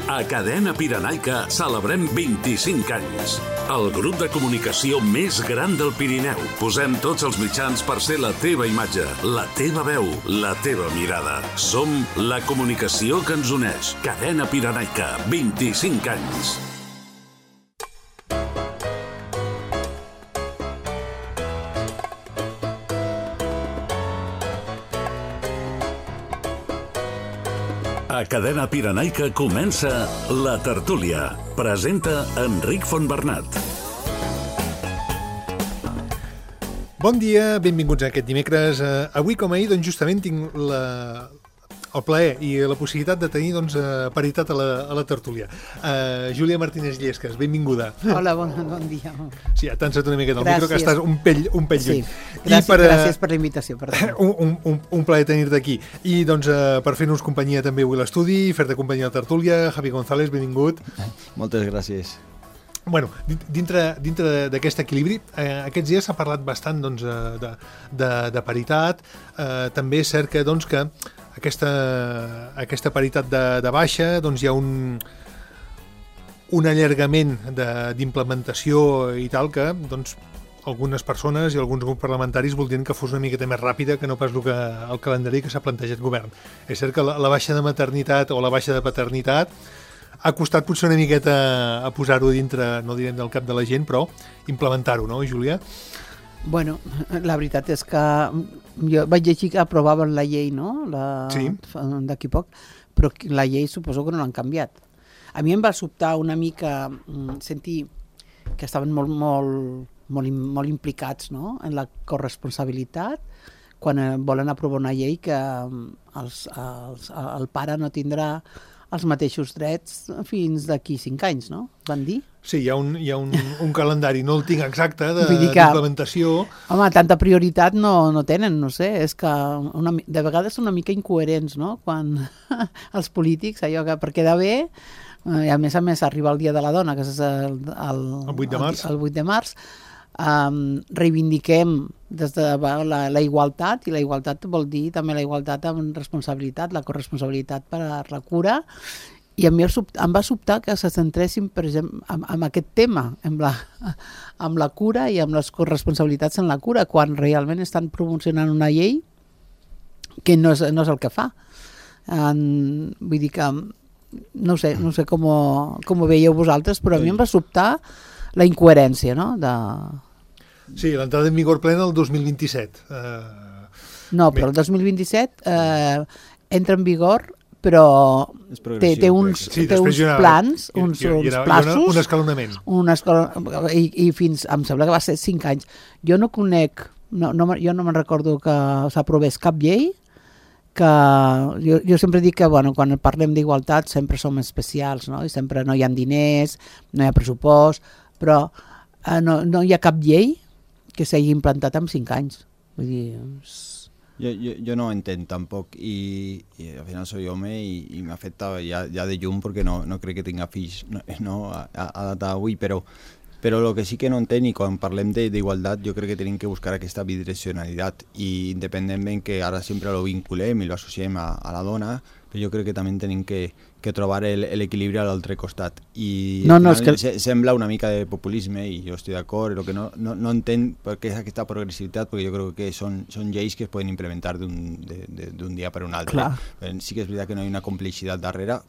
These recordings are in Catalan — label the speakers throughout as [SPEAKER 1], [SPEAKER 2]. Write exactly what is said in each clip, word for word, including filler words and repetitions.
[SPEAKER 1] A Cadena Pirenaica celebrem vint-i-cinc anys. El grup de comunicació més gran del Pirineu. Posem tots els mitjans per ser la teva imatge, la teva veu, la teva mirada. Som la comunicació que ens uneix. Cadena Pirenaica, vint-i-cinc anys. A Cadena Pirenaica comença La Tertúlia. Presenta Enric Fontbernat.
[SPEAKER 2] Bon dia, benvinguts a aquest dimecres. Uh, avui, com ahir, doncs, justament tinc la, el plaer i la possibilitat de tenir doncs, uh, paritat a la, a la tertúlia. Uh, Júlia Martínez Llesques, benvinguda.
[SPEAKER 3] Hola, bon, bon dia.
[SPEAKER 2] Sí, ja t'han set una miqueta al micro, que estàs un pell, un pell lluny.
[SPEAKER 3] Sí, gràcies, per, gràcies per la invitació. Per
[SPEAKER 2] un, un, un, un plaer tenir-te aquí. I doncs, uh, per fer-nos companyia també avui a l'estudi, fer-te companyia a la tertúlia, Javi González, benvingut.
[SPEAKER 4] Moltes gràcies.
[SPEAKER 2] Bueno, dintre, dintre d'aquest equilibri, eh, aquests dies s'ha parlat bastant doncs, de, de, de paritat. Eh, també és cert que, doncs, que aquesta, aquesta paritat de, de baixa doncs, hi ha un, un allargament d'implementació i tal que doncs, algunes persones i alguns grups parlamentaris voldrien que fos una miqueta més ràpida que no pas el, que, el calendari que s'ha plantejat govern. És cert que la, la baixa de maternitat o la baixa de paternitat ha costat potser una miqueta a posar-ho dintre, no direm del cap de la gent, però implementar-ho, no, Júlia?
[SPEAKER 3] Bueno, la veritat és que jo vaig llegir que aprovaven la llei, no? La,
[SPEAKER 2] sí.
[SPEAKER 3] D'aquí poc, però la llei suposo que no l'han canviat. A mi em va sobtar una mica sentir que estaven molt, molt, molt, molt implicats, no?, en la corresponsabilitat, quan volen aprovar una llei que els, els, el pare no tindrà els mateixos drets fins d'aquí cinc anys, no? Van dir?
[SPEAKER 2] Sí, hi ha un, hi ha un, un calendari, no el tinc exacte, d'implementació.
[SPEAKER 3] Home, tanta prioritat no, no tenen, no sé, és que una, de vegades són una mica incoherents, no?, quan els polítics, allò que per quedar bé, i a més a més arriba el Dia de la Dona, que és el, el,
[SPEAKER 2] el vuit de març,
[SPEAKER 3] el, el vuit de març, Um, reivindiquem des de la, la igualtat, i la igualtat vol dir també la igualtat amb responsabilitat, la corresponsabilitat per a la cura, i a mi em va sobtar que se centressin, per exemple, en, en aquest tema, amb la, amb la cura i amb les corresponsabilitats en la cura, quan realment estan promocionant una llei que no és, no és el que fa. En, vull dir que no sé, no sé com, com ho veieu vosaltres, però a mi em va sobtar la incoherència, no?, de...
[SPEAKER 2] Sí, l'entrada en vigor plena el dos mil vint-i-set. Uh,
[SPEAKER 3] no, però bé. El dos mil vint-i-set eh, entra en vigor, però té, té uns,
[SPEAKER 2] sí,
[SPEAKER 3] té uns
[SPEAKER 2] una,
[SPEAKER 3] plans,
[SPEAKER 2] i,
[SPEAKER 3] uns,
[SPEAKER 2] i, i
[SPEAKER 3] uns plaços...
[SPEAKER 2] Un escalonament.
[SPEAKER 3] Un escalonament, i, i fins, em sembla que va ser cinc anys. Jo no conec, no, no, jo no me'n recordo que s'aprovés cap llei, que jo, jo sempre dic que bueno, quan parlem d'igualtat sempre som especials, no? I sempre no hi ha diners, no hi ha pressupost, però eh, no, no hi ha cap llei que s'hagi implantat en cinc anys. Vull dir...
[SPEAKER 4] Jo, jo, jo no ho entenc tampoc, i, i al final soy home i, i m'afecta ja, ja de llum perquè no, no crec que tinga fills no, no, a, a data d'avui, però, però el que sí que no entenc, i quan parlem d'igualtat jo crec que tenim que buscar aquesta bidireccionalitat, i independentment que ara sempre lo vinculem i lo associem a, a la dona, però jo crec que també tenim que, que trobar l'equilibri a l'altre costat, i
[SPEAKER 3] no, no, és que...
[SPEAKER 4] sembla una mica de populisme i jo estic d'acord, però que no, no, no entenc per què és aquesta progressivitat, perquè jo crec que són, són lleis que es poden implementar d'un dia per un altre. Clar. Sí que és veritat que no hi ha una complicitat darrere,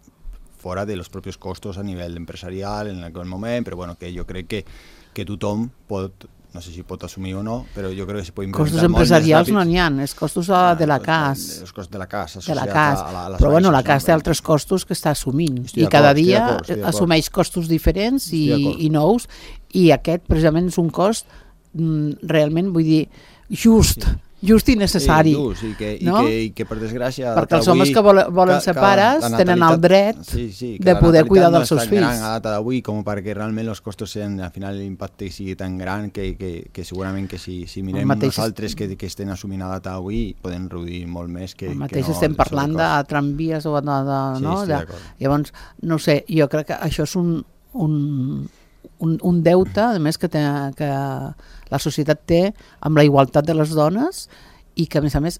[SPEAKER 4] fora de los propios costos a nivell empresarial en aquell moment, però bueno, que jo crec que, que tothom pot, no sé si pot assumir o no, però jo crec que se pot implementar.
[SPEAKER 3] Costos empresarials no n'hi ha, és costos ah, de la C A S.
[SPEAKER 4] Els costos de la C A S,
[SPEAKER 3] de la C A S. A la, a però bueno, la C A S té altres costos que està assumint, i cada dia assumeix costos diferents i, i nous, i aquest precisament és un cost mm, realment, vull dir, just, sí. just i necessari.
[SPEAKER 4] Sí, just, i, que,
[SPEAKER 3] no?
[SPEAKER 4] i, que, i que per desgràcia...
[SPEAKER 3] Perquè els homes que volen, volen ser pares tenen el dret
[SPEAKER 4] sí, sí,
[SPEAKER 3] de poder cuidar dels seus fills.
[SPEAKER 4] No és tan gran a data d'avui com perquè realment els costos siguin, al final l'impacte sigui tan gran que, que, que segurament que si, si mirem mateix... nosaltres que, que estem assumint a data d'avui podem reduir molt més que,
[SPEAKER 3] el mateix
[SPEAKER 4] que no.
[SPEAKER 3] Estem parlant de tramvies o de... de
[SPEAKER 4] sí,
[SPEAKER 3] no?
[SPEAKER 4] de,
[SPEAKER 3] llavors, no sé, jo crec que això és un... un Un, un deute, a més, que, té, que la societat té amb la igualtat de les dones, i que, a més a més,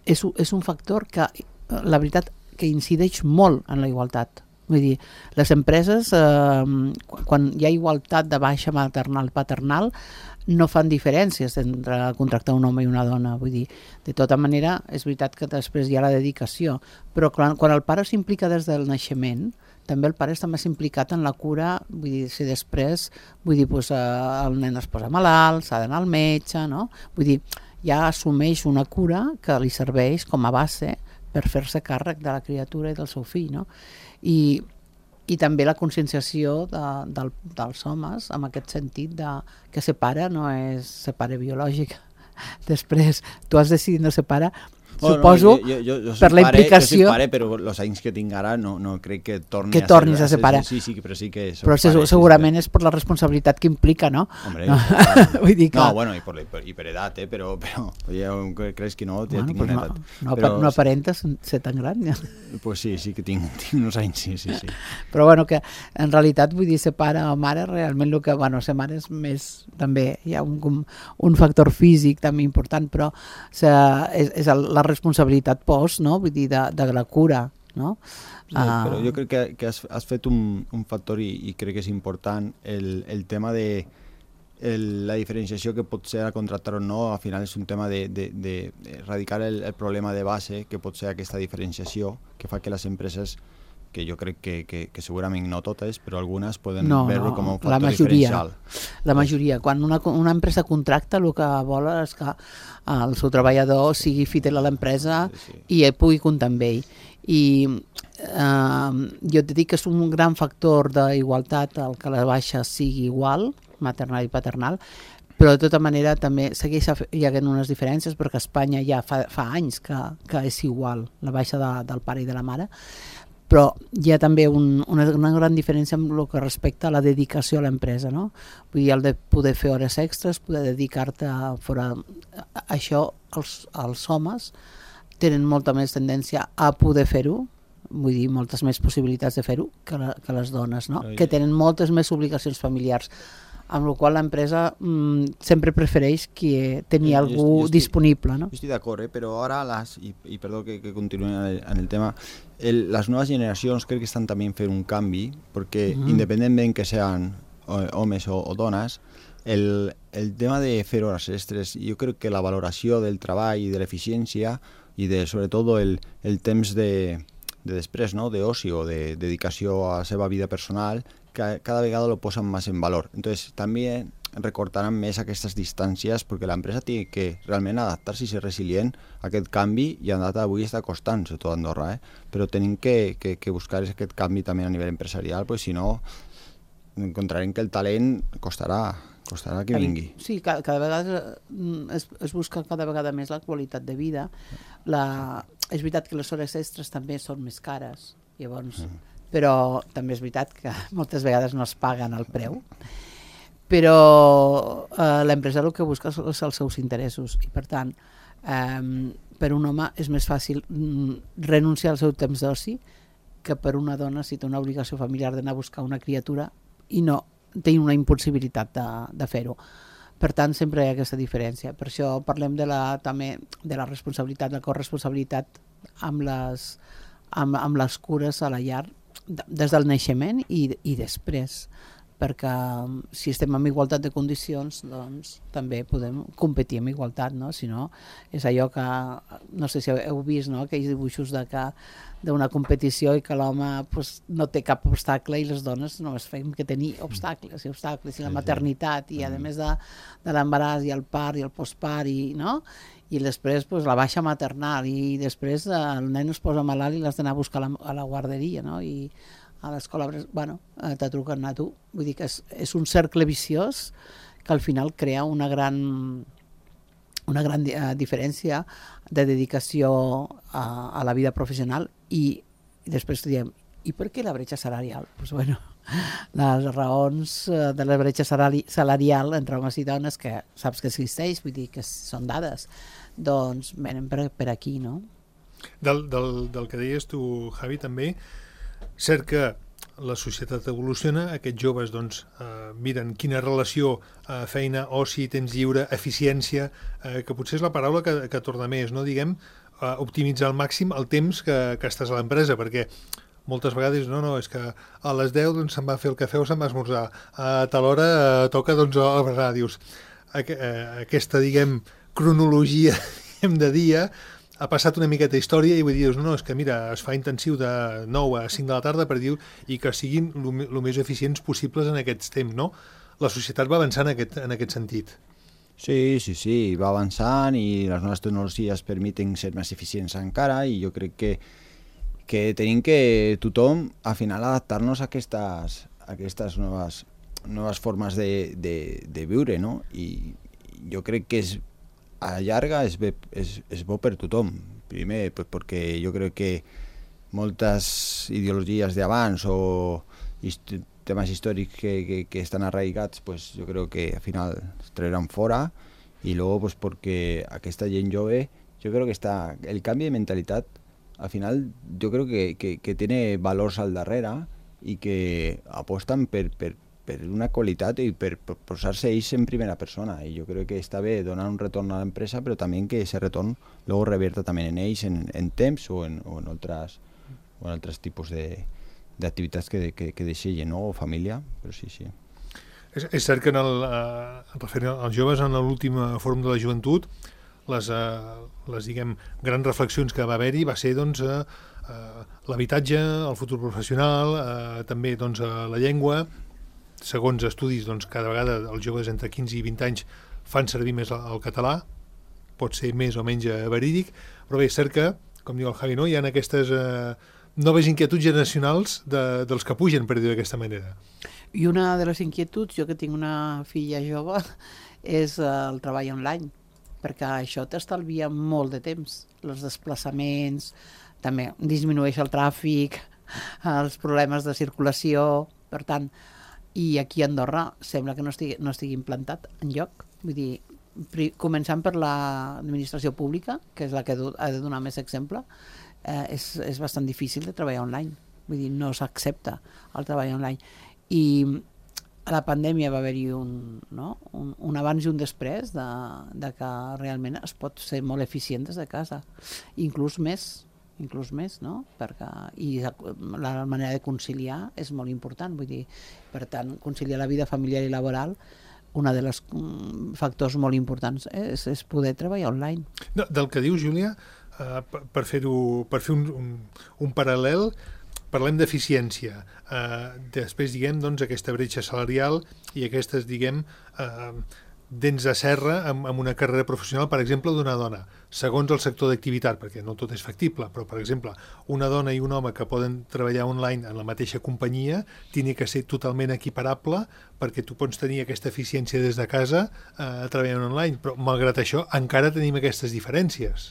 [SPEAKER 3] és, és un factor que, la veritat, que incideix molt en la igualtat. Vull dir, les empreses, eh, quan hi ha igualtat de baixa maternal-paternal, no fan diferències entre contractar un home i una dona. Vull dir, de tota manera, és veritat que després hi ha la dedicació, però quan, quan el pare s'implica des del naixement, també el pare està més implicat en la cura, vull dir, si després, vull dir, doncs, el nen es posa malalt, s'ha d'anar al metge, no? Vull dir, ja assumeix una cura que li serveix com a base per fer-se càrrec de la criatura i del seu fill, no? I, i també la conscienciació de, del, dels homes en aquest sentit de, que ser pare no és ser pare biològic. Després, tu has decidit no ser pare,
[SPEAKER 4] Oh,
[SPEAKER 3] suposo,
[SPEAKER 4] no, jo, jo, jo
[SPEAKER 3] per la
[SPEAKER 4] pare,
[SPEAKER 3] implicació...
[SPEAKER 4] Jo soy pare, però els anys que tinc ara no, no crec que torni
[SPEAKER 3] que
[SPEAKER 4] a
[SPEAKER 3] tornis
[SPEAKER 4] ser,
[SPEAKER 3] a ser pare.
[SPEAKER 4] Sí, sí, però sí que soc
[SPEAKER 3] però
[SPEAKER 4] pare.
[SPEAKER 3] segurament
[SPEAKER 4] Sí,
[SPEAKER 3] és per la responsabilitat que implica, no?
[SPEAKER 4] Hombre,
[SPEAKER 3] no.
[SPEAKER 4] Claro.
[SPEAKER 3] Vull dir que...
[SPEAKER 4] No, bueno, i per, i per, i per edat, eh? però, però jo crec que no, ja
[SPEAKER 3] bueno,
[SPEAKER 4] tinc
[SPEAKER 3] pues
[SPEAKER 4] una
[SPEAKER 3] no,
[SPEAKER 4] edat.
[SPEAKER 3] no,
[SPEAKER 4] però,
[SPEAKER 3] no aparentes ser tan gran. Ja.
[SPEAKER 4] Pues sí, sí que tinc, tinc uns anys, sí, sí, sí.
[SPEAKER 3] Però bueno, que en realitat vull dir ser pare o mare, realment el que, bueno, ser mare és més, també hi ha un, un factor físic també important, però ser, és, és la responsabilitat post, no? Vull dir, de, de la cura, no?
[SPEAKER 4] Sí, uh... però jo crec que, que has, has fet un, un factor i, i crec que és important el, el tema de el, la diferenciació que pot ser a contractar o no, al final és un tema de, de, de erradicar el, el problema de base que pot ser aquesta diferenciació que fa que les empreses, que jo crec que, que, que segurament no totes, però algunes poden
[SPEAKER 3] no,
[SPEAKER 4] veure
[SPEAKER 3] no,
[SPEAKER 4] com un factor
[SPEAKER 3] la majoria,
[SPEAKER 4] diferencial.
[SPEAKER 3] La majoria. Quan una, una empresa contracta, el que vol és que el seu treballador sigui fidel a l'empresa sí, sí. i pugui comptar amb ell. I eh, jo et dic que és un gran factor d'igualtat el que la baixa sigui igual, maternal i paternal, però de tota manera també segueix hi havent unes diferències perquè a Espanya ja fa, fa anys que, que és igual la baixa de, del pare i de la mare, però hi ha també un, una, una gran diferència amb el que respecta a la dedicació a l'empresa, no? Vull dir, el de poder fer hores extres, poder dedicar-te a, fora, a això, els, els homes tenen molta més tendència a poder fer-ho, vull dir, moltes més possibilitats de fer-ho que, la, que les dones, no? Que tenen moltes més obligacions familiars, amb la qual l'empresa mmm, sempre prefereix que tenir
[SPEAKER 4] jo,
[SPEAKER 3] algú
[SPEAKER 4] jo estic,
[SPEAKER 3] disponible, no?
[SPEAKER 4] Jo estic d'acord, eh? Però ara, les, i, i perdó que, que continuï en el, en el tema, el, les noves generacions crec que estan també fent un canvi, perquè mm. independentment que sean homes o, o dones, el, el tema de fer hores extres, jo crec que la valoració del treball i de l'eficiència i de, sobretot el, el temps de, de després, no? d'oci o de dedicació a la seva vida personal, que cada vegada lo posan más en valor. Entonces, también recortaran més aquestes distàncies perquè l'empresa té que realment adaptar-se i ser resilient a aquest canvi i a data d'avui està costant, sobretot a Andorra, eh? Però tenim que, que, que buscar aquest canvi també a nivell empresarial, perquè si no encontrarem que el talent costarà, costarà que vingui.
[SPEAKER 3] Sí, cada, cada vegada es, es busca cada vegada més la qualitat de vida. La, és veritat que les hores extres també són més cares, llavors... Mm. Però també és veritat que moltes vegades no es paguen el preu, però eh, l'empresa el que busca són els seus interessos i per tant eh, per un home és més fàcil renunciar al seu temps d'oci que per una dona si té una obligació familiar d'anar a buscar una criatura i no té una impossibilitat de, de fer-ho. Per tant, sempre hi ha aquesta diferència. Per això parlem de la, també de la responsabilitat, la corresponsabilitat amb les, amb, amb les cures a la llar des del naixement i, i després, perquè si estem en igualtat de condicions doncs també podem competir amb igualtat, no? Si no, és allò que, no sé si heu vist, no? Aquells dibuixos de que d'una competició i que l'home pues, no té cap obstacle i les dones només fem que tenir obstacles i obstacles i la maternitat i a més de, de l'embaràs i el part i el postpart i, no? I després pues, la baixa maternal i després el nen es posa malalt i l'has d'anar a buscar a la, a la guarderia, no? I a l'escola, bueno, t'ha trucat a tu. Vull dir que és, és un cercle viciós que al final crea una gran, una gran uh, diferència de dedicació a, a la vida professional i, i després diem, i per què la bretxa salarial? Pues bueno, les raons de la bretxa salari, salarial entre homes i dones que saps que existeix, vull dir que són dades, doncs venen per, per aquí, no?
[SPEAKER 2] Del, del, del que deies tu, Javi, també, cert que la societat evoluciona, aquests joves doncs, eh, miren quina relació eh, feina, oci, temps lliure, eficiència, eh, que potser és la paraula que, que torna més, no? Diguem, eh, optimitzar al màxim el temps que, que estàs a l'empresa, perquè moltes vegades, no, no, és que a les deu doncs, se'n va fer el cafè o se'n va esmorzar, a tal hora eh, toca doncs, el berenar, dius, aqu eh, aquesta, diguem, cronologia diguem, de dia ha passat una miqueta història i vull dir, no, no, és que mira, es fa intensiu de nou a cinc de la tarda per dir i que siguin el més eficients possibles en aquests temps, no? La societat va avançant en aquest, en aquest sentit.
[SPEAKER 4] Sí, sí, sí, va avançant i les noves tecnologies permeten ser més eficients encara i jo crec que, que tenim que tothom al final adaptar-nos a aquestes, a aquestes noves, noves formes de, de, de viure, no? I jo crec que és, a llarga és, bé, és, és bo per tothom. Primer, pues, perquè jo crec que moltes ideologies d'abans o temes històrics que, que, que estan arraigats, pues jo crec que al final es trauran fora y luego pues porque aquesta gent jove, yo creo que está el cambio de mentalidad al final yo creo que, que, que tiene valors al darrere y que aposten per, per, per una qualitat i per, per posar-se ells en primera persona i jo crec que està bé donar un retorn a l'empresa però també que ese retorn luego revierta també en ells en, en temps o en, o en altres o en altres tipus de d'activitats que, que, que deixen, no? O família, però sí, sí.
[SPEAKER 2] És, és cert que en el, eh, referent als joves, en l'últim fòrum de la joventut, les, eh, les diguem, grans reflexions que va haver-hi va ser doncs, eh, eh, l'habitatge, el futur professional, eh, també doncs, eh, la llengua. Segons estudis, doncs, cada vegada els joves entre quinze i vint anys fan servir més el, el català, pot ser més o menys verídic, però bé, és cert que, com diu el Javi, no? Hi ha aquestes eh, noves inquietuds generacionals de, dels que pugen, per dir-ho d'aquesta manera.
[SPEAKER 3] I una de les inquietuds, jo que tinc una filla jove, és el treball online, perquè això t'estalvia molt de temps. Els desplaçaments, també disminueix el tràfic, els problemes de circulació, per tant, i aquí a Andorra sembla que no estigui, no estigui implantat enlloc. Vull dir, començant per l'administració pública, que és la que ha de donar més exemple, eh, és, és bastant difícil de treballar online. Vull dir, no s'accepta el treball online. I a la pandèmia va haver-hi un, no? un, un abans i un després de, de que realment es pot ser molt eficient des de casa. Inclús més, inclús més, no? Perquè, i la manera de conciliar és molt important. Vull dir, per tant, conciliar la vida familiar i laboral, un dels factors molt importants és, és poder treballar online.
[SPEAKER 2] No, del que dius, Júlia, Uh, per, per fer-ho, per fer un, un, un paral·lel, parlem d'eficiència. Uh, després, diguem, doncs, aquesta bretxa salarial i aquestes, diguem, uh, dents de serra amb, amb una carrera professional, per exemple, d'una dona, segons el sector d'activitat, perquè no tot és factible, però, per exemple, una dona i un home que poden treballar online en la mateixa companyia tingui que ser totalment equiparable perquè tu pots tenir aquesta eficiència des de casa uh, treballant online, però, malgrat això, encara tenim aquestes diferències.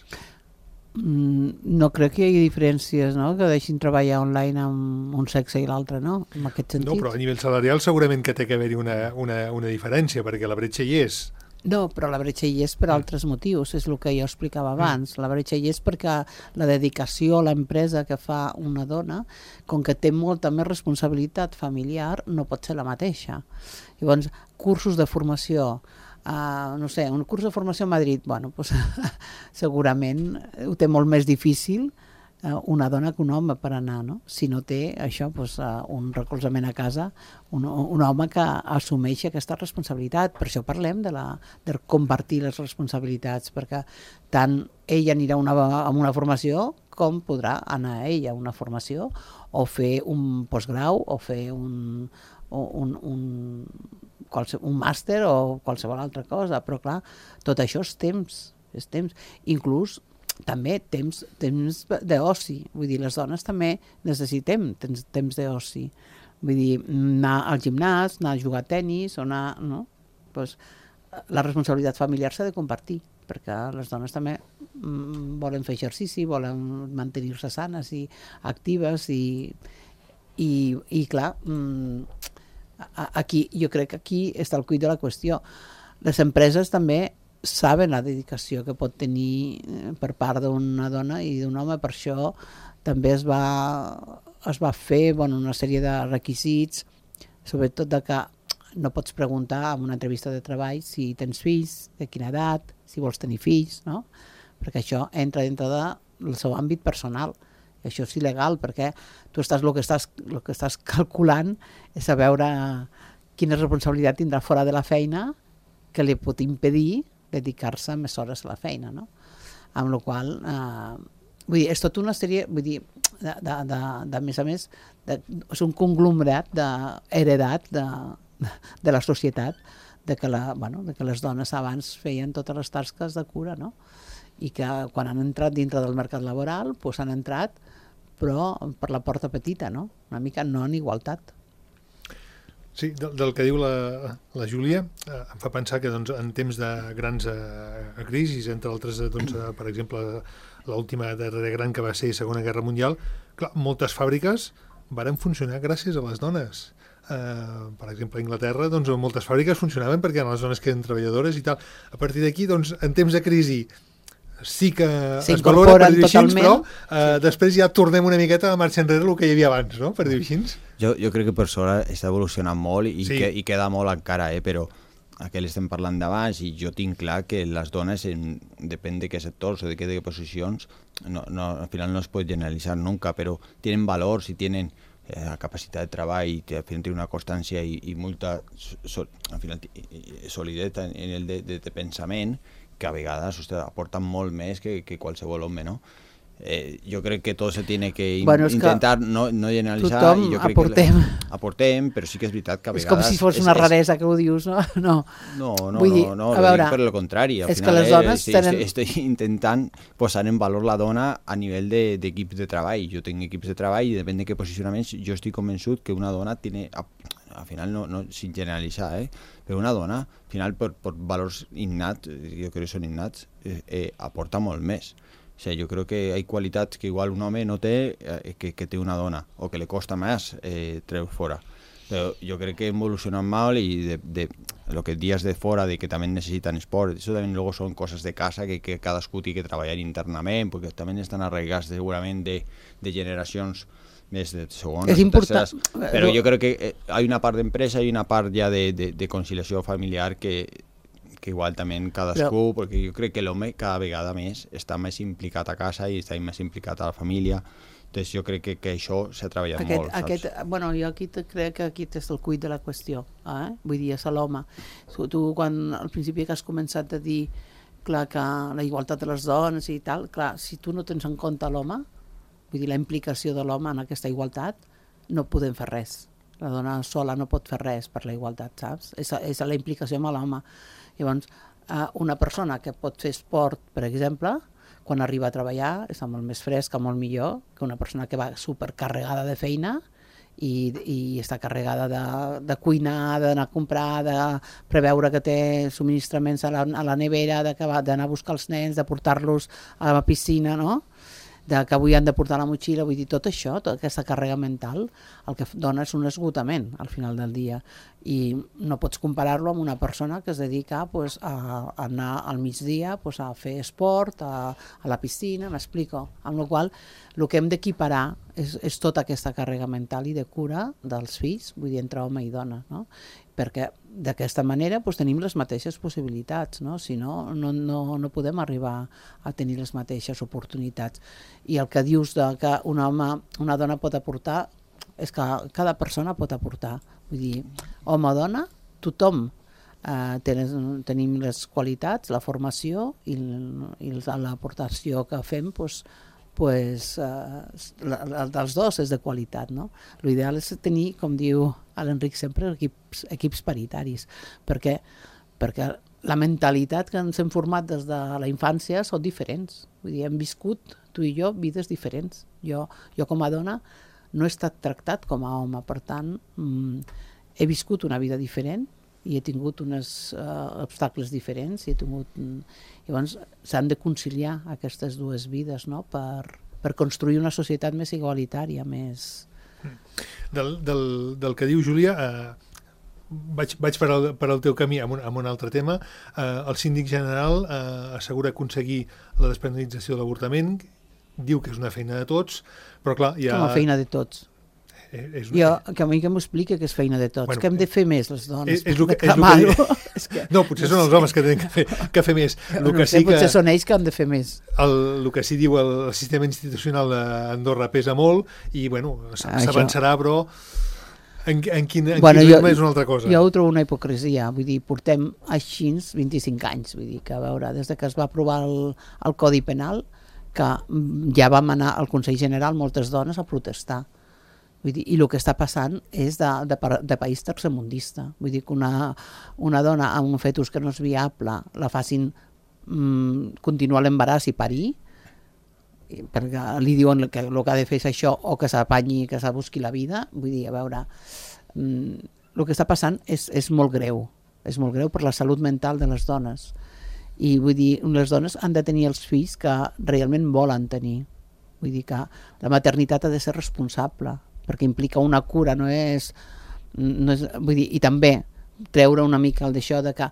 [SPEAKER 3] No crec que hi hagi diferències, no? Que deixin treballar online amb un sexe i l'altre, no? En aquest sentit.
[SPEAKER 2] No, però a nivell salarial segurament que té que haver-hi una, una, una diferència, perquè la bretxa hi és.
[SPEAKER 3] No, però la bretxa hi és per altres motius, és el que jo explicava abans. La bretxa hi és perquè la dedicació a l'empresa que fa una dona, com que té molta més responsabilitat familiar, no pot ser la mateixa. Llavors, cursos de formació, Uh, no sé, un curs de formació a Madrid, bueno, pues, segurament ho té molt més difícil uh, una dona que un home per anar, no? Si no té això, pues, uh, un recolzament a casa, un, un home que assumeix aquesta responsabilitat. Per això parlem de, la, de compartir les responsabilitats, perquè tant ella anirà una, a una formació com podrà anar ella a una formació o fer un postgrau o fer un, un, un un màster o qualsevol altra cosa, però clar, tot això és temps, és temps. Inclús també temps, temps d'oci, vull dir, les dones també necessitem temps, temps d'oci, vull dir, anar al gimnàs, anar a jugar a tenis, o anar, no? Pues, la responsabilitat familiar s'ha de compartir, perquè les dones també mm, volen fer exercici, volen mantenir-se sanes i actives i, i, i clar, mm, aquí, jo crec que aquí està el cuit de la qüestió. Les empreses també saben la dedicació que pot tenir per part d'una dona i d'un home, per això també es va, es va fer bueno, una sèrie de requisits, sobretot de que no pots preguntar en una entrevista de treball si tens fills, de quina edat, si vols tenir fills, no? Perquè això entra dintre del seu àmbit personal. que això és il·legal, perquè tu estàs, el que estàs, el que estàs calculant és a veure quina responsabilitat tindrà fora de la feina que li pot impedir dedicar-se més hores a la feina, no? Amb la qual eh, vull dir, és tota una sèrie, vull dir, de, de, de, de més a més, de, és un conglomerat d'heredat de, de, de la societat, de que, la, bueno, de que les dones abans feien totes les tasques de cura, no? I que quan han entrat dintre del mercat laboral, doncs han entrat, però per la porta petita, no? Una mica no en igualtat.
[SPEAKER 2] Sí, del, del que diu la, la Júlia, eh, em fa pensar que doncs, en temps de grans eh, crisis, entre altres, doncs, eh, per exemple, l'última darrera gran que va ser Segona Guerra Mundial, clar, moltes fàbriques varen funcionar gràcies a les dones. Uh, per exemple, a Anglaterra, doncs, moltes fàbriques funcionaven perquè eren les dones que eren treballadores i tal. A partir d'aquí, doncs, en temps de crisi sí que es valora, per dir així, però uh, sí. després ja tornem una miqueta a marxa enrere el que hi havia abans, no? Per dir així.
[SPEAKER 4] Jo, jo crec que per sort està evolucionant molt i,
[SPEAKER 2] sí.
[SPEAKER 4] que, i queda molt encara, eh? Però aquell estem parlant d'abans i jo tinc clar que les dones, en, depèn de què sectors o de què, de què posicions, no, no, al final no es pot generalitzar nunca, però tenen valors i tenen eh, la capacitat de treball i al final té una constància i, i molta so, al final, solidesa en el de, de, de pensament que a vegades ostres, aporten molt més que, que qualsevol home, no? Eh, jo crec que tot se tiene que in, bueno, intentar no, no generalitzar.
[SPEAKER 3] Tothom
[SPEAKER 4] i jo crec
[SPEAKER 3] aportem.
[SPEAKER 4] Que aportem, però sí que és veritat que a
[SPEAKER 3] és
[SPEAKER 4] vegades...
[SPEAKER 3] És com si fos una és, raresa que ho dius, no? No,
[SPEAKER 4] no, no,
[SPEAKER 3] Vull dir,
[SPEAKER 4] no, no
[SPEAKER 3] a veure,
[SPEAKER 4] per el contrari. Al
[SPEAKER 3] és
[SPEAKER 4] final,
[SPEAKER 3] que les dones
[SPEAKER 4] eh,
[SPEAKER 3] tenen...
[SPEAKER 4] Estic, estic intentant posar en valor la dona a nivell d'equips de, de treball. Jo tinc equips de treball i depèn de què posicionaments, jo estic convençut que una dona tiene... Al final, no, no sin generalitzar, eh? Però una dona, al final, per, per valors innats, jo crec que són innats, eh, eh, aporta molt més. O sigui, jo crec que hi ha qualitats que igual un home no té eh, que, que té una dona, o que li costa més eh, treure fora. Però jo crec que evolucionen molt i de, de lo que dies de fora, de que també necessiten esport, això també luego són coses de casa que, que cadascú té que treballar internament, perquè també estan arraigats segurament de, de generacions més de segones
[SPEAKER 3] és
[SPEAKER 4] o
[SPEAKER 3] important.
[SPEAKER 4] terceres, però jo crec que eh, hi ha una part d'empresa i una part ja de, de, de conciliació familiar que, que igual també cadascú, però... perquè jo crec que l'home cada vegada més està més implicat a casa i està més implicat a la família, doncs jo crec que, que això s'ha treballat
[SPEAKER 3] aquest,
[SPEAKER 4] molt, saps?
[SPEAKER 3] Aquest, bueno, jo aquí te, crec que aquí és el cuit de la qüestió, eh? Vull dir, és l'home. Tu, tu, quan al principi que has començat a dir clar, que la igualtat de les dones i tal, clar, si tu no tens en compte l'home, vull dir, la implicació de l'home en aquesta igualtat, no podem fer res. La dona sola no pot fer res per la igualtat, saps? És, és la implicació amb l'home. Llavors, una persona que pot fer esport, per exemple, quan arriba a treballar, està molt més fresca, molt millor, que una persona que va supercarregada de feina i, i està carregada de, de cuinar, d'anar a comprar, de preveure que té subministraments a la, a la nevera, d'anar a buscar els nens, de portar-los a la piscina, no? De que avui han de portar la motxilla, vull dir, tot això, tota aquesta càrrega mental, el que dona és un esgotament al final del dia. I no pots comparar-lo amb una persona que es dedica pues, a anar al migdia pues, a fer esport, a, a la piscina, m'explico. Amb la qual cosa, el que hem d'equiparar és, és tota aquesta càrrega mental i de cura dels fills, vull dir, entre home i dona, no? Perquè d'aquesta manera doncs, tenim les mateixes possibilitats, no? Si no, no, no, no podem arribar a tenir les mateixes oportunitats. I el que dius de que un home, una dona pot aportar, és que cada persona pot aportar. Vull dir, home o dona, tothom eh, ten, tenim les qualitats, la formació i, i l'aportació que fem, doncs, pues, eh, la, la, dels dos és de qualitat, no? L'ideal és tenir, com diu l'Enric sempre, equips, equips paritaris, perquè, perquè la mentalitat que ens hem format des de la infància són diferents. Vull dir, hem viscut, tu i jo, vides diferents. Jo, jo com a dona no he estat tractat com a home, per tant, mm, he viscut una vida diferent i he tingut uns uh, obstacles diferents i he tingut... Llavors s'han de conciliar aquestes dues vides, no? per, per construir una societat més igualitària, més...
[SPEAKER 2] Del, del, del que diu Júlia, eh, vaig, vaig per, al, per al teu camí amb un, amb un altre tema. Eh, el síndic general eh, assegura aconseguir la despenalització de l'avortament, diu que és una feina de tots, però clar... Hi ha...
[SPEAKER 3] Com a feina de tots.
[SPEAKER 2] és
[SPEAKER 3] jo, que a mi que m'ho explica que és feina de tots,
[SPEAKER 2] bueno,
[SPEAKER 3] que hem de fer més les dones.
[SPEAKER 2] És, és el que, és el que, és que, no, potser són els homes que tenen que fer, que fer més. El que
[SPEAKER 3] no sé,
[SPEAKER 2] sí que,
[SPEAKER 3] potser són ells que han de fer més.
[SPEAKER 2] El, el que sí diu el, el sistema institucional d'Andorra pesa molt i bueno, s'avançarà, però en, en quin, en
[SPEAKER 3] bueno,
[SPEAKER 2] quin
[SPEAKER 3] ritme
[SPEAKER 2] és una altra cosa.
[SPEAKER 3] Jo ho trobo una hipocresia, vull dir, portem així vint-i-cinc anys, vull dir, que a veure, des de que es va aprovar el, el Codi Penal, que ja vam anar al Consell General moltes dones a protestar. Vull dir, i el que està passant és de, de, de país tercermundista. Vull dir que una, una dona amb un fetus que no és viable la facin mm, continuar l'embaràs i parir, perquè li diuen que el que ha de fer és això o que s'apanyi, que s'ha busqui la vida. Vull dir, a veure, mm, el que està passant és, és molt greu. És molt greu per la salut mental de les dones. I vull dir, les dones han de tenir els fills que realment volen tenir. Vull dir que la maternitat ha de ser responsable, perquè implica una cura, no és... No és vull dir, i també treure una mica el d'això de que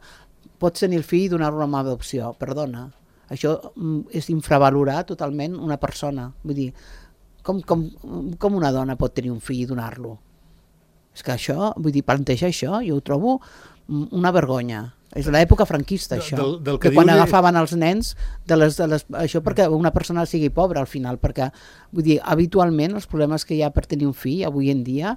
[SPEAKER 3] pots tenir el fill i donar-lo amb adopció. Perdona, això és infravalorar totalment una persona. Vull dir, com, com, com una dona pot tenir un fill i donar-lo? És que això, vull dir, plantejar això, jo ho trobo una vergonya. És l'època franquista, això. Del, del que que quan agafaven els nens, de les, de les, això perquè una persona sigui pobra al final, perquè, vull dir, habitualment els problemes que hi ha per tenir un fill avui en dia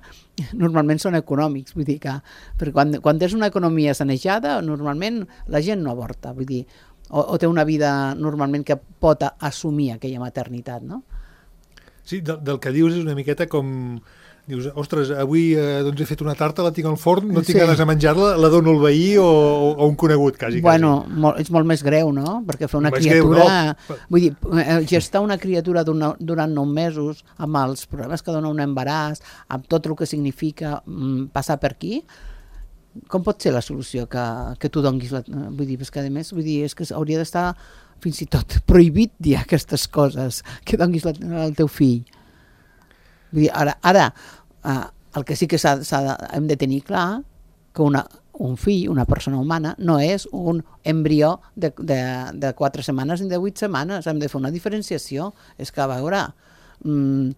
[SPEAKER 3] normalment són econòmics, vull dir que perquè quan, quan tens una economia sanejada, normalment la gent no avorta, vull dir, o, o té una vida normalment que pot assumir aquella maternitat, no?
[SPEAKER 2] Sí, del, del que dius és una miqueta com... Dius, ostres, avui eh, doncs he fet una tarta, la tinc al forn, no tinc sí. ganes de menjar-la, la dono al veí o, o un conegut, quasi.
[SPEAKER 3] Bueno,
[SPEAKER 2] quasi.
[SPEAKER 3] Molt, és molt més greu, no? Perquè fer una
[SPEAKER 2] més
[SPEAKER 3] criatura...
[SPEAKER 2] Greu, no?
[SPEAKER 3] Vull dir, gestar una criatura durant nou mesos, amb els problemes que dona un embaràs, amb tot el que significa mm, passar per aquí, com pot ser la solució que, que tu donis? La, vull dir, que a més, vull dir, és que hauria d'estar fins i tot prohibit dir aquestes coses, que donis la, al teu fill. Vull dir, ara, ara uh, el que sí que s'ha, s'ha de, hem de tenir clar que una, un fill, una persona humana, no és un embrió de, de, de quatre setmanes ni de vuit setmanes. Hem de fer una diferenciació. És que, a veure, um,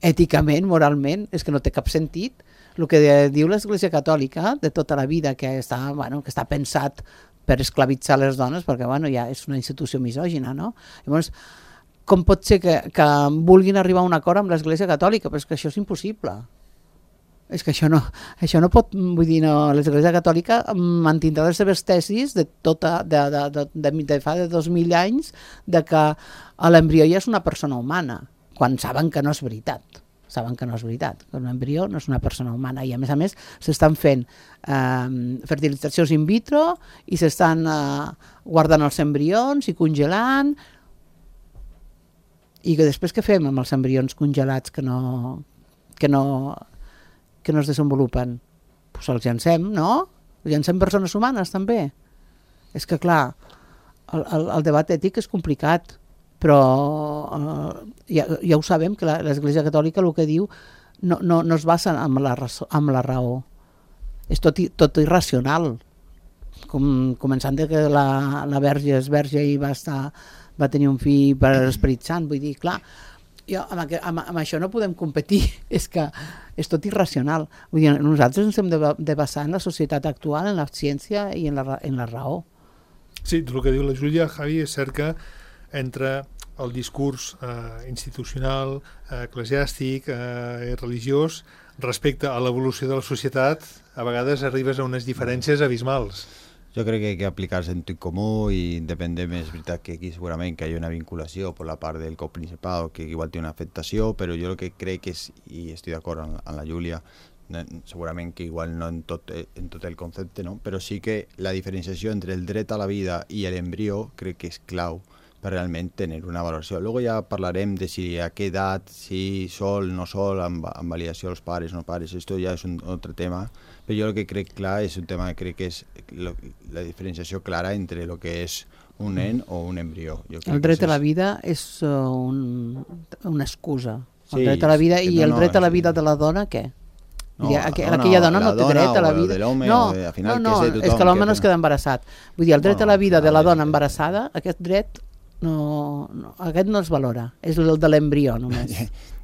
[SPEAKER 3] èticament, moralment, és que no té cap sentit. El que diu l'Església Catòlica de tota la vida, que està, bueno, que està pensat per esclavitzar les dones, perquè bueno, ja és una institució misògina, no? Llavors, com pot ser que, que vulguin arribar a un acord amb l'Església Catòlica? Però és que això és impossible. És que això no, això no pot, vull dir, no, l'Església Catòlica mantindrà les seves tesis de, tota, de, de, de, de, de fa de dos mil anys de que l'embrió ja és una persona humana, quan saben que no és veritat. Saben que no és veritat, que un embrió no és una persona humana i a més a més s'estan fent eh, fertilitzacions in vitro i s'estan eh, guardant els embrions i congelant. I que després què fem amb els embrions congelats que no, que no, que no es desenvolupen? Pues els llancem, no? Els llancem persones humanes, també. És que, clar, el, el, el debat ètic és complicat, però eh, ja, ja ho sabem, que l'Església Catòlica el que diu no, no, no es basa en la, raó, en la raó. És tot, tot irracional. Com, començant de que la, la verge és verge i va estar... va tenir un fill per l'Esperit Sant, vull dir, clar, jo, amb, amb, amb això no podem competir, és que és tot irracional. Vull dir, nosaltres ens hem de, de basar en la societat actual, en la ciència i en la, en la raó.
[SPEAKER 2] Sí, el que diu la Júlia, Javi, és cert que entre el discurs eh, institucional, eh, eclesiàstic, eh, religiós, respecte a l'evolució de la societat, a vegades arribes a unes diferències abismals.
[SPEAKER 4] Jo crec que hay que aplicar sentit comú i independent, és veritat que aquí segurament que hi ha una vinculació per la part del coprincipal que igual té una afectació, però jo el que crec és, i estic d'acord amb, amb la Júlia, segurament que igual no en tot, en tot el concepte, no? Però sí que la diferenciació entre el dret a la vida i l'embrió crec que és clau per realment tenir una valoració. Luego ja parlarem de si a què edat, si sol, no sol, amb, amb validació dels pares, no pares, esto ja és un altre tema, però jo el que crec clar és un tema que crec que és lo, la diferenciació clara entre el que és un nen o un embrió. Jo
[SPEAKER 3] el dret a la vida és uh, un, una excusa. El
[SPEAKER 4] sí,
[SPEAKER 3] dret a la vida i
[SPEAKER 4] no,
[SPEAKER 3] el dret
[SPEAKER 4] no,
[SPEAKER 3] a la vida de la dona, què?
[SPEAKER 4] No,
[SPEAKER 3] I aqu
[SPEAKER 4] dona,
[SPEAKER 3] aquella dona no té dret a la vida.
[SPEAKER 4] No,
[SPEAKER 3] no, no, no, és que l'home no es queda embarassat. Vull dir, el dret
[SPEAKER 4] bueno,
[SPEAKER 3] a la vida de la
[SPEAKER 4] veure,
[SPEAKER 3] dona embarassada, aquest dret no, no, aquest no es valora, és el de l'embrió només.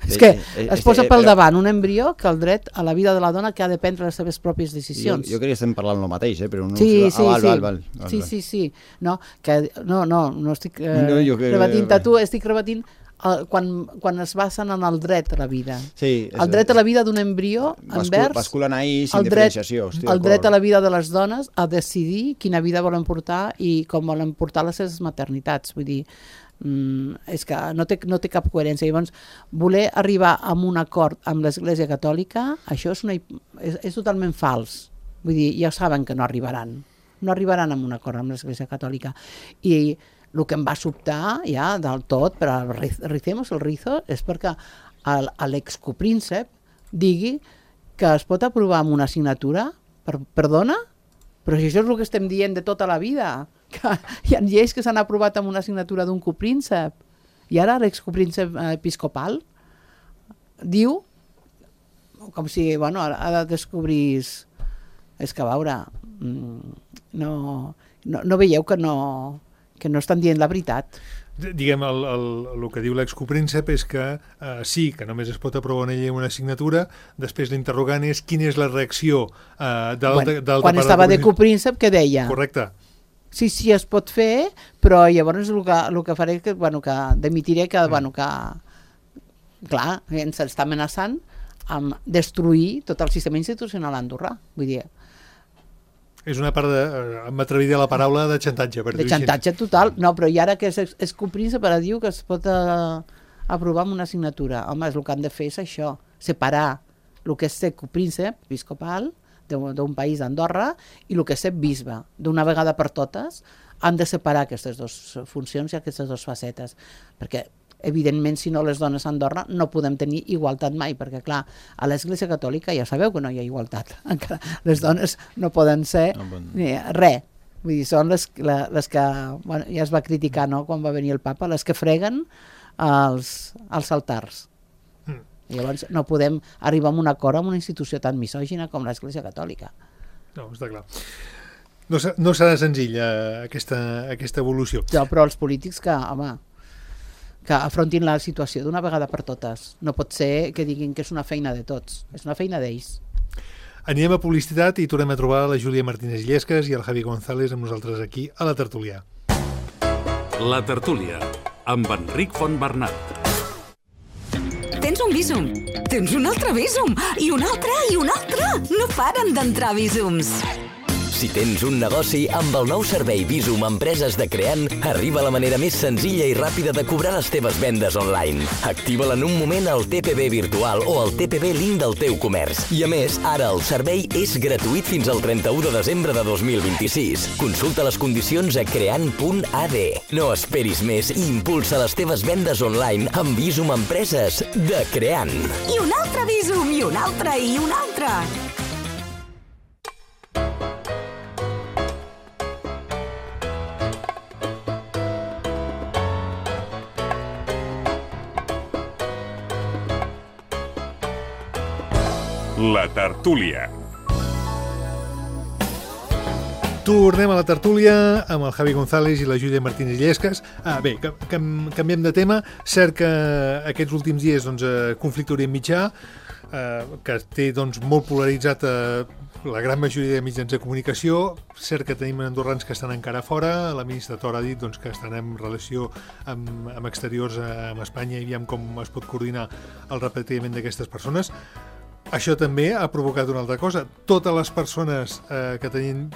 [SPEAKER 3] És que es posa pel davant un embrió que el dret a la vida de la dona que ha de prendre les seves pròpies decisions.
[SPEAKER 4] Jo, jo crec que estem parlant el mateix, eh? Però no...
[SPEAKER 3] Sí, sí,
[SPEAKER 4] ah, val,
[SPEAKER 3] sí.
[SPEAKER 4] Val, val, val,
[SPEAKER 3] sí,
[SPEAKER 4] val.
[SPEAKER 3] sí, sí. No, que, no, no, no estic eh,
[SPEAKER 4] no, que...
[SPEAKER 3] rebatint a tu, estic rebatint eh, quan, quan es basen en el dret a la vida.
[SPEAKER 4] Sí, és,
[SPEAKER 3] el dret a la vida d'un embrió envers
[SPEAKER 4] basculen ahir sin
[SPEAKER 3] el dret,
[SPEAKER 4] diferenciació.
[SPEAKER 3] El dret a la vida de les dones a decidir quina vida volen portar i com volen portar les seves maternitats. Vull dir, Mm, és que no té, no té cap coherència. Llavors, voler arribar a un acord amb l'Església Catòlica, això és, una, és, és totalment fals. Vull dir, ja saben que no arribaran. No arribaran a un acord amb l'Església Catòlica. I el que em va sobtar ja del tot, però ricemos el rizo, és perquè l'excopríncep digui que es pot aprovar amb una assignatura. Per, perdona? Però si això és el que estem dient de tota la vida, que hi ha lleis que s'han aprovat amb una assignatura d'un copríncep, i ara l'excopríncep episcopal diu, com si, bueno, ha de descobrir... És que, a veure, no, no, no veieu que no, que no estan dient la veritat.
[SPEAKER 2] Diguem, el, el, el que diu l'excopríncep és que eh, sí, que només es pot aprovar una llei amb una assignatura, després l'interrogant és quina és la reacció eh, d'alta
[SPEAKER 3] bueno, quan estava de copríncep, què deia?
[SPEAKER 2] Correcte.
[SPEAKER 3] Sí, sí, es pot fer, però llavors el que, el que faré que, bueno, que demitiré que, mm. bueno, que clar, ens està amenaçant amb destruir tot el sistema institucional andorrà. Vull dir,
[SPEAKER 2] és una part de, m'atreviré a la paraula, de xantatge. Per
[SPEAKER 3] de xantatge total. No, però i ara que és, és copríncep, ara diu que es pot uh, aprovar amb una assignatura. Home, el que han de fer és això, separar el que és ser copríncep episcopal d'un país d'Andorra i el que és ser bisbe. D'una vegada per totes han de separar aquestes dues funcions i aquestes dues facetes. Perquè, evidentment, si no les dones a Andorra no podem tenir igualtat mai, perquè, clar, a l'Església Catòlica ja sabeu que no hi ha igualtat. Encara les dones no poden ser no, bon... ni res. Vull dir, són les, les que, bueno, ja es va criticar, no?, quan va venir el papa, les que freguen els, els altars. Mm. I llavors no podem arribar a un acord amb una institució tan misògina com l'Església Catòlica.
[SPEAKER 2] No, està clar. No, no serà senzilla aquesta, aquesta evolució.
[SPEAKER 3] No, però els polítics que, home, que afrontin la situació d'una vegada per totes. No pot ser que diguin que és una feina de tots, és una feina d'ells.
[SPEAKER 2] Anirem a publicitat i tornem a trobar la Júlia Martínez Llesques i el Javi González amb nosaltres aquí a La Tertúlia.
[SPEAKER 1] La Tertúlia, amb Enric Fontbernat.
[SPEAKER 5] Tens un Bizum, tens un altre Bizum, i un altre, i un altre. No paren d'entrar Bizums.
[SPEAKER 6] Si tens un negoci, amb el nou servei Bizum Empreses de Creant, arriba la manera més senzilla i ràpida de cobrar les teves vendes online. Activa-la en un moment al T P B virtual o al T P B link del teu comerç. I a més, ara el servei és gratuït fins al trenta-u de desembre de dos mil vint-i-sis. Consulta les condicions a creant punt a d. No esperis més i impulsa les teves vendes online amb Bizum Empreses de Creant.
[SPEAKER 5] I un altre Bizum, i un altre, i un altre.
[SPEAKER 1] La Tertúlia.
[SPEAKER 2] Tornem a La Tertúlia amb el Javi González i la Júlia Martínez Llesques. Ah, bé, cam canviem de tema. Cert que aquests últims dies, doncs, conflicte Orient Mitjà, eh, que té, doncs, molt polaritzat eh, la gran majoria de mitjans de comunicació. Cert que tenim andorrans que estan encara fora. La ministra Tora ha dit, doncs, que estan en relació amb, amb exteriors amb Espanya i veiem com es pot coordinar el repatriament d'aquestes persones. Això també ha provocat una altra cosa. Totes les persones eh, que tenien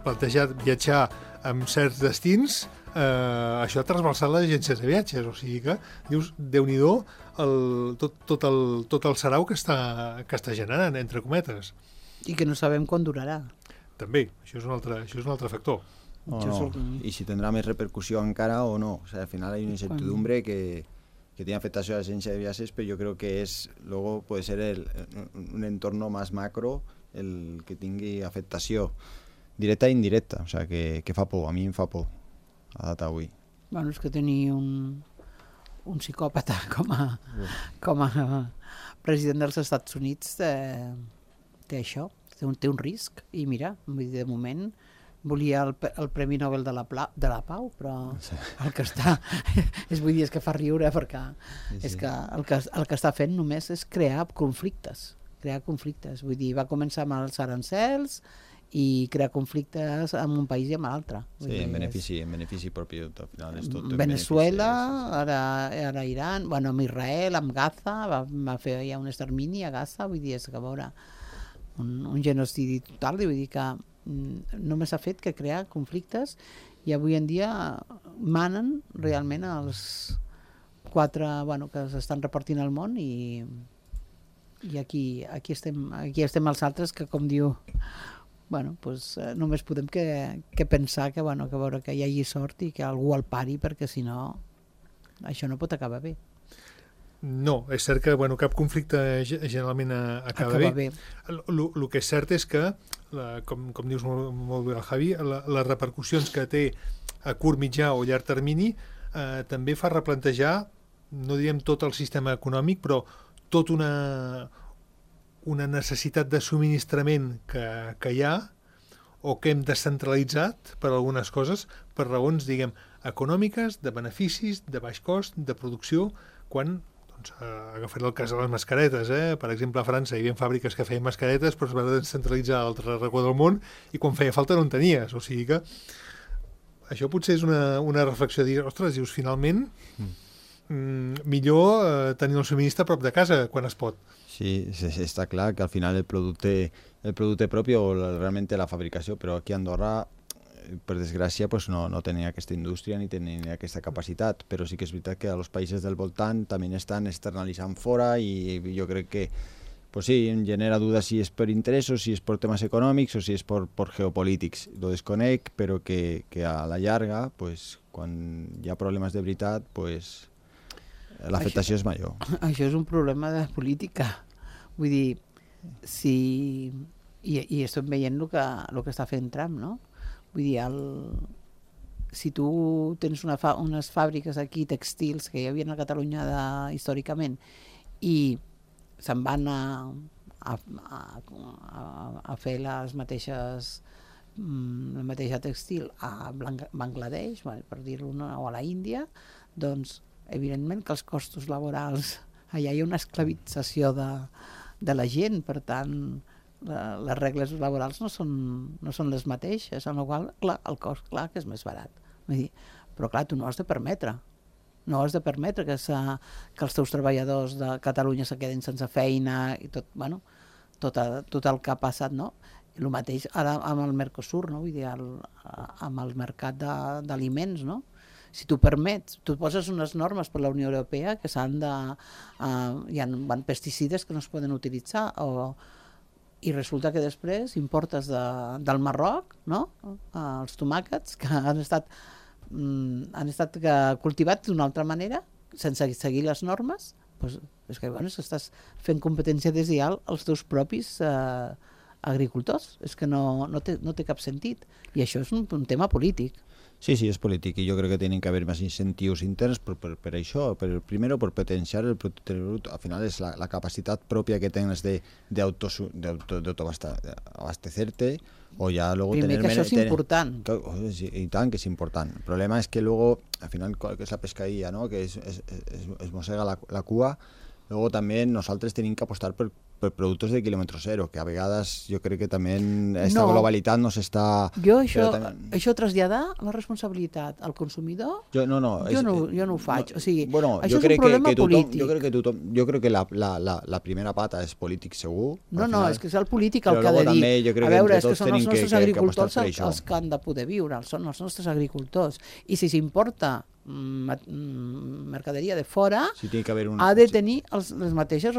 [SPEAKER 2] plantejat viatjar amb certs destins, eh, això ha trasbalsat les agències de viatges. O sigui que, dius, Déu-n'hi-do el, tot, tot, el, tot el sarau que està, que està generant, entre cometes.
[SPEAKER 3] I que no sabem quan durarà.
[SPEAKER 2] També, això és un altre, això és un altre factor.
[SPEAKER 4] O no. I si tindrà més repercussió encara o no. O sea, al final hay una incertidumbre que... que tiene afectación a la agencia de viajes, pero yo creo que es, luego puede ser el, un entorno más macro el que tenga afectación directa e indirecta, o sea, que, que fa por, a mi em fa por a data avui.
[SPEAKER 3] Bueno, és que tenir un, un psicòpata com a, com a president dels Estats Units té, té això, té un, té un risc, i mira, vull dir, de moment volia el, el Premi Nobel de la, Pla, de la Pau, però sí. el que està... és, vull dir, és que fa riure, perquè sí, sí. és que el, que el que està fent només és crear conflictes, crear conflictes. Vull dir, va començar amb els arancels i crear conflictes amb un país i amb l'altre.
[SPEAKER 4] Sí, dir, en benefici, és... en benefici propi, al final és tot...
[SPEAKER 3] Venezuela, ara, ara Iran, bueno, amb Israel, amb Gaza, va, va fer ja un extermini a Gaza, vull dir, és que a veure, un, un genocidi total, vull dir que només ha fet que crear conflictes i avui en dia manen realment els quatre bueno, que s'estan repartint al món i, i aquí, aquí, estem, aquí estem els altres que, com diu, bueno, pues, eh, només podem que, que pensar que, bueno, que, veure, que hi hagi sort i que algú el pari, perquè si no això no pot acabar bé.
[SPEAKER 2] No, és cert que bueno, cap conflicte generalment acaba, acaba bé. El que és cert és que, la, com, com dius molt, molt bé el Javi, la, les repercussions que té a curt, mitjà o llarg termini eh, també fa replantejar, no diem tot el sistema econòmic, però tota una, una necessitat de subministrament que, que hi ha o que hem descentralitzat per algunes coses, per raons, diguem, econòmiques, de beneficis, de baix cost, de producció, quan... Doncs, agafaré el cas de les mascaretes, eh? Per exemple, a França hi havia fàbriques que feien mascaretes però es va descentralitzar a l'altre racó del món i quan feia falta no en tenies, o sigui que això potser és una, una reflexió de dir, ostres, dius, finalment mm, millor eh, tenir el subministre a prop de casa quan es pot.
[SPEAKER 4] Sí, sí, està clar que al final el producte, el producte propi o realment la fabricació, però aquí a Andorra per desgràcia pues no, no tenia aquesta indústria ni tenia aquesta capacitat, però sí que és veritat que els països del voltant també estan externalitzant fora i jo crec que pues sí, em genera dudas si és per interessos, si és per temes econòmics o si és per, per geopolítics. Lo desconec, però que, que a la llarga, pues, quan hi ha problemes de veritat, pues, l'afectació és major.
[SPEAKER 3] Això és un problema de política. Vull dir, si... I, i estem veient el que, el que està fent Trump, no? Vull dir, el... si tu tens una fa... unes fàbriques aquí, textils, que hi havia a Catalunya de... històricament, i se'n van a, a, a, a fer les mateixes la mateixa textil a Bangladesh, per dir-ho, o a la Índia, doncs evidentment que els costos laborals, allà hi ha una esclavització de, de la gent, per tant la, les regles laborals no són, no són les mateixes, amb la qual clar, el cost clar que és més barat. Vull dir, però clar, tu no has de permetre no has de permetre que, que els teus treballadors de Catalunya se quedin sense feina i tot, bueno, tot, tot el que ha passat, no? El mateix ara amb el Mercosur, no? Vull dir, el, amb el mercat d'aliments, no? Si tu permets, tu poses unes normes per la Unió Europea que s'han de... Uh, hi ha van pesticides que no es poden utilitzar o, i resulta que després importes de, del Marroc, no? Uh, els tomàquets que han estat... Mm, han estat cultivats d'una altra manera sense seguir les normes, doncs, és que, bueno, és que estàs fent competència deslleial als teus propis eh, agricultors, és que no, no, té, no té cap sentit, i això és un, un tema polític.
[SPEAKER 4] Sí, sí, és polític, i jo crec que tenen que haver més incentius interns per, per, per això, per, primero per potenciar el producte brut, al final és la, la capacitat pròpia que tens de, de, auto, de, auto, de autoabastecerte, o ya luego
[SPEAKER 3] Primer
[SPEAKER 4] tener...
[SPEAKER 3] que això és
[SPEAKER 4] tener,
[SPEAKER 3] important.
[SPEAKER 4] Que, sí, y tan que es important. El problema es que luego, al final, que es la pescadilla, ¿no? Que es, es, es, es mossega la, la cua. Luego también nosaltres tenim que apostar per, per productes de quilòmetre zero, que a vegades jo crec que també aquesta no. globalitat no s'està...
[SPEAKER 3] Jo això, també... això traslladar la responsabilitat al consumidor,
[SPEAKER 4] jo no, no,
[SPEAKER 3] jo,
[SPEAKER 4] és,
[SPEAKER 3] no, jo no ho faig.
[SPEAKER 4] No,
[SPEAKER 3] o sigui,
[SPEAKER 4] bueno,
[SPEAKER 3] això
[SPEAKER 4] jo
[SPEAKER 3] és un problema
[SPEAKER 4] que, que tothom,
[SPEAKER 3] polític.
[SPEAKER 4] Jo crec que tothom, jo crec que la, la, la, la primera pata és polític segur.
[SPEAKER 3] No, no,
[SPEAKER 4] final,
[SPEAKER 3] és que és el polític el que ha de dir. A veure, és que són els nostres que, agricultors que, que els que han de poder viure, són els nostres agricultors. I si s'importa mercaderia de fora,
[SPEAKER 4] sí, un...
[SPEAKER 3] ha de tenir els, els mateixos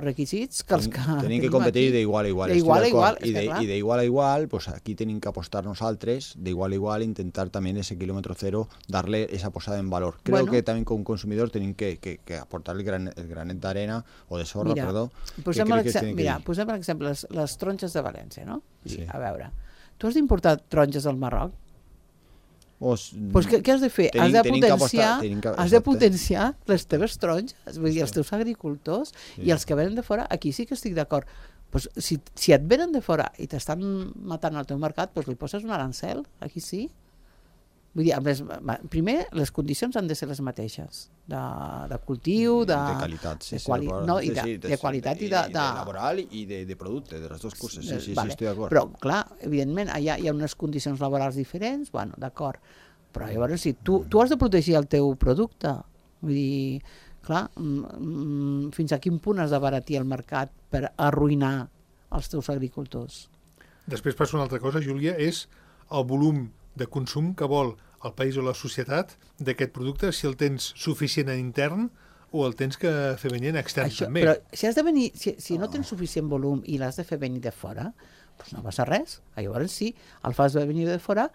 [SPEAKER 3] requisits que els que
[SPEAKER 4] tenim que competir d'igual a igual,
[SPEAKER 3] igual, a igual
[SPEAKER 4] i d'igual a igual, pues aquí tenim que apostar nosaltres d'igual a igual, intentar també ese kilómetro cero darle esa posada en valor. Creo bueno, que també com consumidor tenim que, que, que aportar el, gran, el granet d'arena o de sorra,
[SPEAKER 3] mira,
[SPEAKER 4] perdó.
[SPEAKER 3] Posem per exemple, mira, posem per exemple les, les taronges de València, no? Sí. A veure, tu has d'importar taronges del Marroc?
[SPEAKER 4] Pues,
[SPEAKER 3] pues què, què has de fer? Tenim, has de potenciar, apostar, has de potenciar les teves taronges, vull dir, els teus agricultors sí. i els que venen de fora, aquí sí que estic d'acord. pues, si, si et venen de fora i t'estan matant al teu mercat, pues li poses un arancel, aquí sí. Vull dir, les, primer, les condicions han de ser les mateixes, de, de cultiu, de...
[SPEAKER 4] De qualitat, sí,
[SPEAKER 3] de quali...
[SPEAKER 4] sí.
[SPEAKER 3] No, i de,
[SPEAKER 4] sí,
[SPEAKER 3] de, de qualitat i de...
[SPEAKER 4] de, de laboral i de, de producte, de les dues coses, sí, sí,
[SPEAKER 3] vale.
[SPEAKER 4] sí, estic d'acord.
[SPEAKER 3] Però, clar, evidentment, hi ha, hi ha unes condicions laborals diferents, bueno, d'acord, però llavors, si tu, tu has de protegir el teu producte, vull dir, clar, mm, fins a quin punt has d'abaratir el mercat per arruïnar els teus agricultors?
[SPEAKER 2] Després passa una altra cosa, Júlia, és el volum de consum que vol el país o la societat d'aquest producte, si el tens suficient en intern o el tens que fer venir en extern
[SPEAKER 3] Això,
[SPEAKER 2] també.
[SPEAKER 3] però si, has de venir, si, si no tens suficient volum i l'has de fer venir de fora, doncs no passa res. Llavors sí, el fas venir de fora,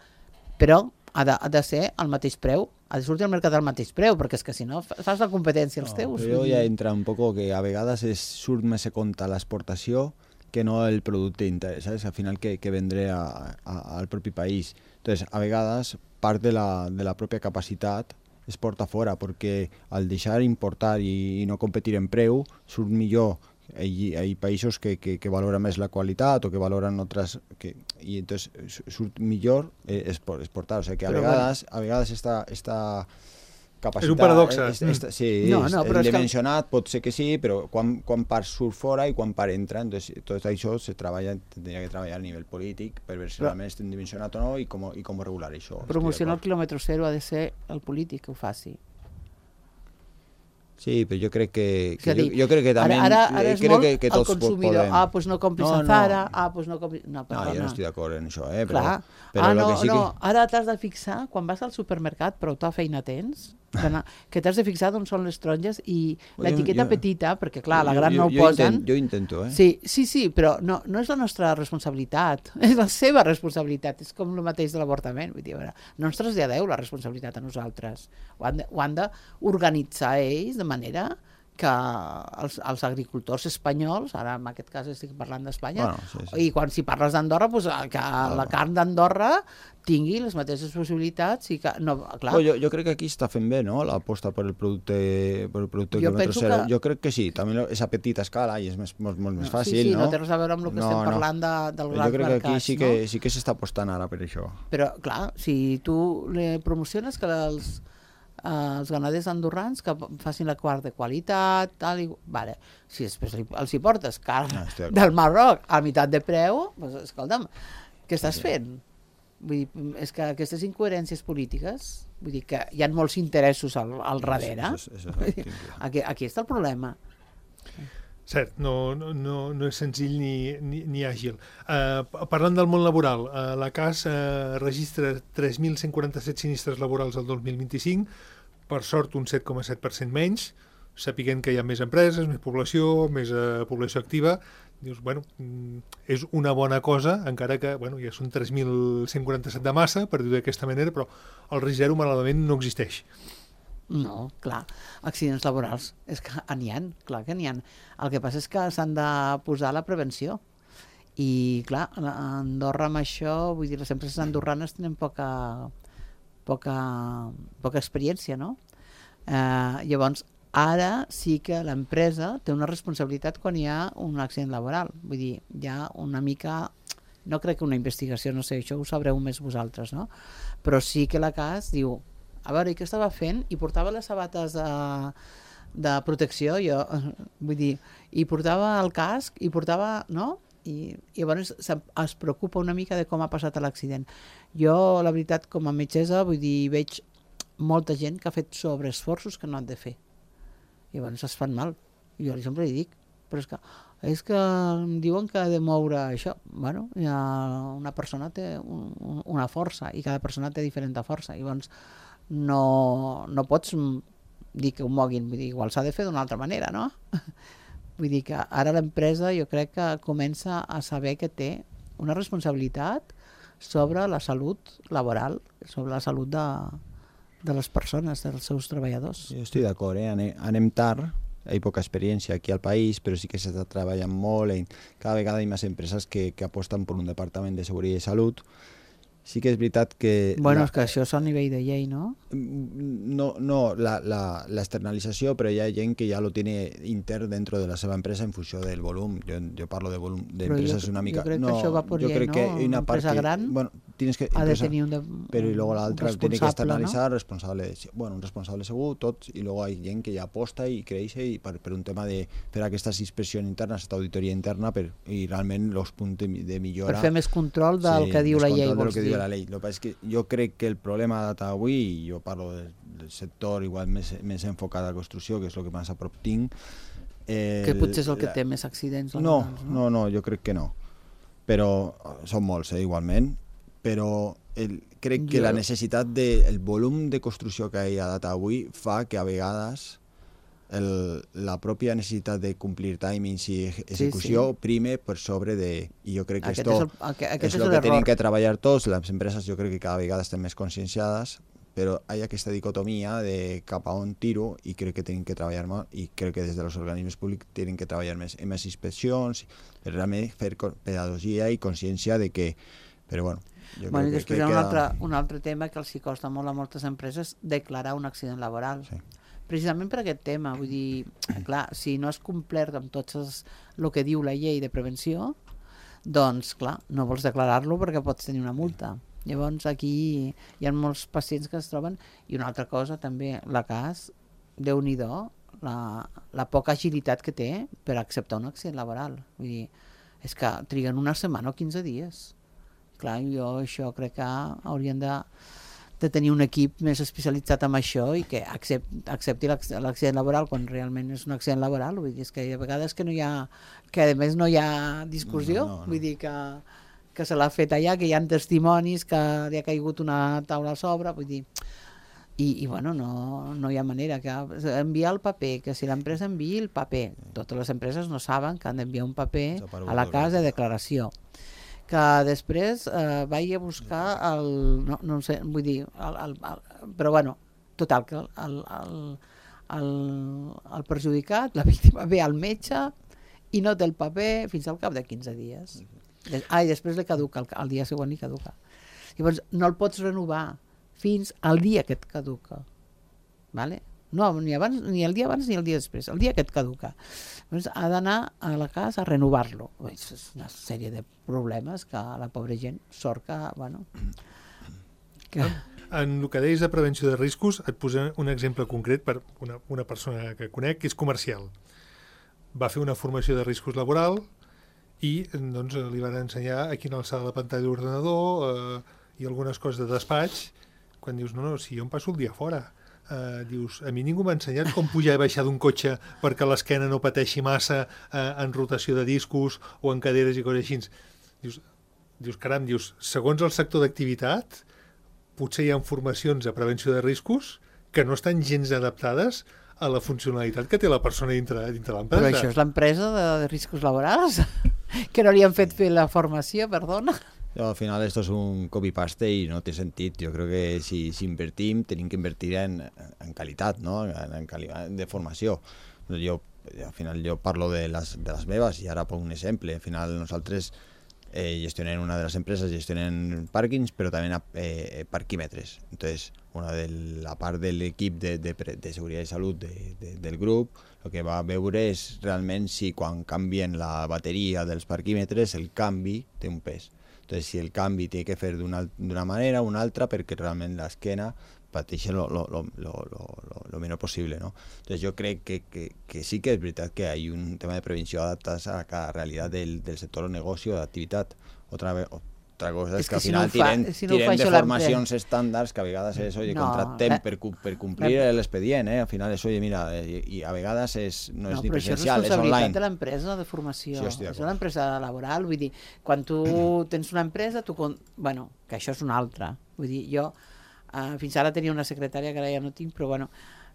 [SPEAKER 3] però ha de, ha de ser al mateix preu, ha de sortir al mercat al mateix preu, perquè és que si no fas la competència als teus.
[SPEAKER 4] Però jo ja entra un poco que a vegades és, surt més a compte l'exportació que no el producte intern, ¿sabes? Al final que, que vendré a, a, al propi país. Entonces, a vegades, part de la, de la pròpia capacitat es porta fora, perquè al deixar importar i, i no competir en preu, surt millor. Hi ha països que, que, que valoren més la qualitat o que valoren altres... Que, i entonces surt millor eh, exportar. O sigui que a
[SPEAKER 3] però
[SPEAKER 4] vegades, bueno. a vegades esta... esta capacitat,
[SPEAKER 2] és un paradoxe.
[SPEAKER 4] És, és, és, sí,
[SPEAKER 3] no,
[SPEAKER 4] és,
[SPEAKER 3] no,
[SPEAKER 4] el dimensionat
[SPEAKER 3] que...
[SPEAKER 4] pot ser que sí, però quan, quan part surt fora i quan part entra, entonces, tot això se treballa, tindria que treballar a nivell polític per veure si realment estem dimensionat o no i com, i com regular això.
[SPEAKER 3] Promocionar el quilòmetre zero ha de ser el polític que ho faci.
[SPEAKER 4] Sí, però jo crec que, que
[SPEAKER 3] dir,
[SPEAKER 4] jo, jo crec que també
[SPEAKER 3] ara, ara, ara és
[SPEAKER 4] crec
[SPEAKER 3] molt
[SPEAKER 4] que, que
[SPEAKER 3] el
[SPEAKER 4] tots
[SPEAKER 3] consumidor.
[SPEAKER 4] podem.
[SPEAKER 3] Ah, doncs no compris
[SPEAKER 4] no,
[SPEAKER 3] a Zara,
[SPEAKER 4] no.
[SPEAKER 3] ah, doncs no compris... No,
[SPEAKER 4] no, jo no estic d'acord en això, eh? Però,
[SPEAKER 3] clar.
[SPEAKER 4] però
[SPEAKER 3] ah,
[SPEAKER 4] lo
[SPEAKER 3] no,
[SPEAKER 4] que sí
[SPEAKER 3] no,
[SPEAKER 4] que...
[SPEAKER 3] ara t'has de fixar, quan vas al supermercat, prou ta feina tens, que t'has de fixar d'on són les taronges i l'etiqueta petita, perquè clar, la gran
[SPEAKER 4] jo,
[SPEAKER 3] no ho
[SPEAKER 4] jo
[SPEAKER 3] posen.
[SPEAKER 4] Intent, jo intento, eh?
[SPEAKER 3] Sí, sí, sí, però no, no és la nostra responsabilitat, és la seva responsabilitat, és com el mateix de l'avortament, vull dir, veure, no ens traslladeu la responsabilitat a nosaltres, ho han d'organitzar ells de manera que els, els agricultors espanyols, ara en aquest cas estic parlant d'Espanya,
[SPEAKER 4] bueno, sí, sí.
[SPEAKER 3] i quan si parles d'Andorra, pues, que ah, la carn d'Andorra tingui les mateixes possibilitats i que, no, clar.
[SPEAKER 4] Però jo, jo crec que aquí està fent bé, no?, l'aposta per el producte, per el producte
[SPEAKER 3] jo
[SPEAKER 4] quilòmetre zero.
[SPEAKER 3] Que...
[SPEAKER 4] Jo crec que sí, també és a petita escala i és més, molt, molt més fàcil,
[SPEAKER 3] sí, sí,
[SPEAKER 4] no?
[SPEAKER 3] no té res a veure amb el que
[SPEAKER 4] no,
[SPEAKER 3] estem
[SPEAKER 4] no.
[SPEAKER 3] parlant de, del gran mercat,
[SPEAKER 4] jo crec que aquí sí que,
[SPEAKER 3] no?
[SPEAKER 4] sí que s'està apostant ara per això.
[SPEAKER 3] Però, clar, si tu le promociones que els Uh, els ganaders andorrans que facin la quart de qualitat, tal i... Vale. Si després li, els hi portes carn no, del Marroc a meitat de preu, doncs, escolta'm, què estàs sí. fent? Vull dir, és que aquestes incoherències polítiques, vull dir que hi ha molts interessos al, al darrere.
[SPEAKER 4] Això, això, això, això,
[SPEAKER 3] aquí, aquí està el problema.
[SPEAKER 2] Cert, no, no, no és senzill ni, ni, ni àgil. Uh, parlant del món laboral, uh, la C A S uh, registra tres mil cent quaranta-set sinistres laborals el dos mil vint-i-cinc, per sort un set coma set per cent menys, sapiguent que hi ha més empreses, més població, més uh, població activa. Dius, bueno, és una bona cosa, encara que bueno, ja són tres mil cent quaranta-set de massa, per dir-ho d'aquesta manera, però el risc zero malauradament no existeix.
[SPEAKER 3] No, clar, accidents laborals, és que n'hi ha, clar que n'hi ha. El que passa és que s'han de posar la prevenció. I, clar, a Andorra amb això, vull dir, les empreses andorranes tenen poca, poca, poca experiència, no? Eh, llavors, ara sí que l'empresa té una responsabilitat quan hi ha un accident laboral. Vull dir, hi ha una mica... No crec que una investigació, no sé, això ho sabreu més vosaltres, no? Però sí que la C A S diu... A veure, i què estava fent? I portava les sabates de, de protecció, jo, vull dir, i portava el casc, i portava, no? I, i llavors es preocupa una mica de com ha passat l'accident. Jo, la veritat, com a metgessa, vull dir, veig molta gent que ha fet sobreesforços que no han de fer. I llavors es fan mal. Jo sempre li dic, però és que, és que em diuen que ha de moure això. Bueno, ja una persona té un, una força, i cada persona té diferent força. I llavors, no, no pots dir que ho moguin, vull dir, igual s'ha de fer d'una altra manera, no? Vull dir que ara l'empresa jo crec que comença a saber que té una responsabilitat sobre la salut laboral, sobre la salut de, de les persones, dels seus treballadors.
[SPEAKER 4] Jo estic d'acord, eh? anem, anem tard, hi ha poca experiència aquí al país, però sí que s'està treballant molt, i cada vegada hi ha més empreses que, que aposten per un departament de seguretat i salut, sí que és veritat que...
[SPEAKER 3] Bueno,
[SPEAKER 4] la,
[SPEAKER 3] és que això és a nivell de llei, no?
[SPEAKER 4] No, no la, la, la externalització, però hi ha gent que ja lo tiene intern dentro de la seva empresa en funció del volum. Jo, jo parlo de volum d'empreses una mica...
[SPEAKER 3] Jo crec
[SPEAKER 4] no,
[SPEAKER 3] que això va per
[SPEAKER 4] yo
[SPEAKER 3] llei,
[SPEAKER 4] creo
[SPEAKER 3] no?
[SPEAKER 4] que hay una
[SPEAKER 3] Una
[SPEAKER 4] part
[SPEAKER 3] empresa
[SPEAKER 4] que,
[SPEAKER 3] gran
[SPEAKER 4] bueno, tienes que,
[SPEAKER 3] ha de
[SPEAKER 4] empresa,
[SPEAKER 3] tenir un, de,
[SPEAKER 4] però i luego l'altra
[SPEAKER 3] un
[SPEAKER 4] tiene que
[SPEAKER 3] responsable,
[SPEAKER 4] externalitzar,
[SPEAKER 3] no?
[SPEAKER 4] responsable, bueno, un responsable segur, tots, i luego hi ha gent que ja aposta i creix i per, per un tema de fer aquestes inspeccions internes, aquesta auditoria interna, per, i realment els punts de, de millora...
[SPEAKER 3] Per fer més control del
[SPEAKER 4] sí,
[SPEAKER 3] que diu la llei,
[SPEAKER 4] del
[SPEAKER 3] vols
[SPEAKER 4] que
[SPEAKER 3] dir.
[SPEAKER 4] diu la llei. Lo que passa és que jo crec que el problema de data avui, i jo parlo del, del sector igual més, més enfocat a la construcció, que és el que més a prop tinc... Eh,
[SPEAKER 3] Que potser és el que
[SPEAKER 4] la...
[SPEAKER 3] té més accidents.
[SPEAKER 4] No,
[SPEAKER 3] laborals,
[SPEAKER 4] no, no, jo crec que no. Però són molts, eh, igualment. Però el, crec que
[SPEAKER 3] Jo-
[SPEAKER 4] la necessitat de, el volum de construcció que hi ha a data avui fa que a vegades el, la pròpia necessitat de complir timings i execució
[SPEAKER 3] sí.
[SPEAKER 4] prime per sobre de... I jo crec que
[SPEAKER 3] Aquest
[SPEAKER 4] esto
[SPEAKER 3] és el- aquest- aquest
[SPEAKER 4] és
[SPEAKER 3] és
[SPEAKER 4] el que
[SPEAKER 3] l'error.
[SPEAKER 4] tenen que treballar tots. Les empreses jo crec que cada vegada estan més conscienciades, però hi ha aquesta dicotomia de cap a on tiro i crec que tenen que treballar més i crec que des dels organismes públics tenen que treballar més en més inspeccions, per realment fer co- pedagogia i consciència de que... Però bueno, jo
[SPEAKER 3] Bueno, I
[SPEAKER 4] crec
[SPEAKER 3] després
[SPEAKER 4] que,
[SPEAKER 3] hi ha
[SPEAKER 4] que
[SPEAKER 3] un
[SPEAKER 4] queda...
[SPEAKER 3] altre, un altre tema que els hi costa molt a moltes empreses declarar un accident laboral.
[SPEAKER 4] Sí.
[SPEAKER 3] Precisament per aquest tema, vull dir, clar, si no has complert amb tots els, el que diu la llei de prevenció, doncs, clar, no vols declarar-lo perquè pots tenir una multa. Llavors, aquí hi ha molts pacients que es troben. I una altra cosa, també, la cas, Déu-n'hi-do, la, la poca agilitat que té per acceptar un accident laboral. Vull dir, és que triguen una setmana o quinze dies. Clar, jo això crec que haurien de, de tenir un equip més especialitzat en això i que accept, accepti l'acc- l'accident laboral quan realment és un accident laboral. Vull dir, és que a vegades que no hi ha, que a més no hi ha discussió,
[SPEAKER 4] No, no, no.
[SPEAKER 3] vull dir que, que se l'ha fet allà, que hi ha testimonis, que li ha caigut una taula a sobre, vull dir, i, i bueno, no, no hi ha manera que enviar el paper, que si l'empresa enviï el paper, totes les empreses no saben que han d'enviar un paper a la casa de declaració, que després eh, vagi a buscar el, no, no sé, vull dir el, el, el, però bueno, total que el, el, el, el perjudicat, la víctima ve al metge i no té el paper fins al cap de quinze dies. Ah, i després li caduca, el, el dia següent li caduca. Llavors no el pots renovar fins al dia que et caduca, vale? No, ni, abans, ni el dia abans ni el dia després, el dia que et caduca. Llavors ha d'anar a la casa a renovar-lo. És una sèrie de problemes que la pobra gent sort que, bueno... Que...
[SPEAKER 2] En el que deies de prevenció de riscos, et posem un exemple concret per una, una persona que conec, que és comercial. Va fer una formació de riscos laboral i doncs, li van ensenyar a quina alçada la pantalla d'ordenador eh, i algunes coses de despatx, quan dius, no, no, si jo em passo el dia fora. Uh, dius, a mi ningú m'ha ensenyat com pujar i baixar d'un cotxe perquè l'esquena no pateixi massa uh, en rotació de discos o en caderes i coses així. Dius, dius caram, dius, segons el sector d'activitat potser hi ha formacions de prevenció de riscos que no estan gens adaptades a la funcionalitat que té la persona dintre, dintre l'empresa.
[SPEAKER 3] Però això és l'empresa de, de riscos laborals? Que no li han fet fer la formació, perdona?
[SPEAKER 4] Yo, al final esto es un copy-paste y no té sentit. Jo crec que si, si invertim tenim que invertir en, en qualitat, no? en, en qualitat de formació. Jo, al final jo parlo de les, de les meves i ara ponc un exemple. Al final nosaltres eh, gestionem una de les empreses, gestionem pàrquings, però també eh, parquímetres. Entonces, una de la part de l'equip de, de, de seguretat i salut de, de, del grup, el que va veure és realment si quan canvien la bateria dels parquímetres el canvi té un pes. Entonces, si el canvi té que fer d'una manera o una altra perquè realment l'esquena pateixi lo, lo, lo, lo, lo, lo menor possible, ¿no? Entonces, jo crec que, que, que sí que és veritat que hi ha un tema de prevenció adaptat a cada realitat del, del sector o negoci o d'activitat. Otra vez, otra cosa és, és que, que al final si no fa, tiren,
[SPEAKER 3] si no
[SPEAKER 4] tiren de formacions estàndards que a vegades és, oye,
[SPEAKER 3] no,
[SPEAKER 4] contractem
[SPEAKER 3] la,
[SPEAKER 4] per, per complir la, l'expedient, eh? Al final és, oye, mira, i, i a vegades és, no, no és ni presencial, és online.
[SPEAKER 3] Però això és responsabilitat de l'empresa de formació,
[SPEAKER 4] sí,
[SPEAKER 3] és una empresa laboral, vull dir, quan tu tens una empresa, tu, bueno, que això és una altra, vull dir, jo uh, fins ara tenia una secretària, que ara ja no tinc, però bueno,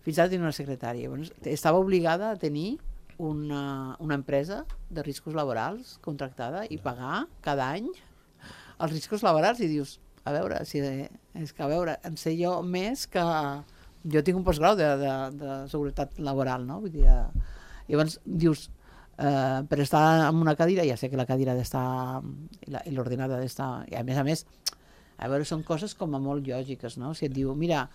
[SPEAKER 3] fins ara tenia una secretària, bueno, estava obligada a tenir una, una empresa de riscos laborals contractada i pagar cada any els riscos laborals i dius, a veure, si, és que a veure, en sé jo més que... Jo tinc un postgrau de, de, de seguretat laboral, no? Vull dir, eh, llavors dius, eh, per estar en una cadira, ja sé que la cadira ha d'estar, i l'ordenada ha d'estar, i a més a més, A veure, són coses com a molt lògiques, no? Si et diu, mira,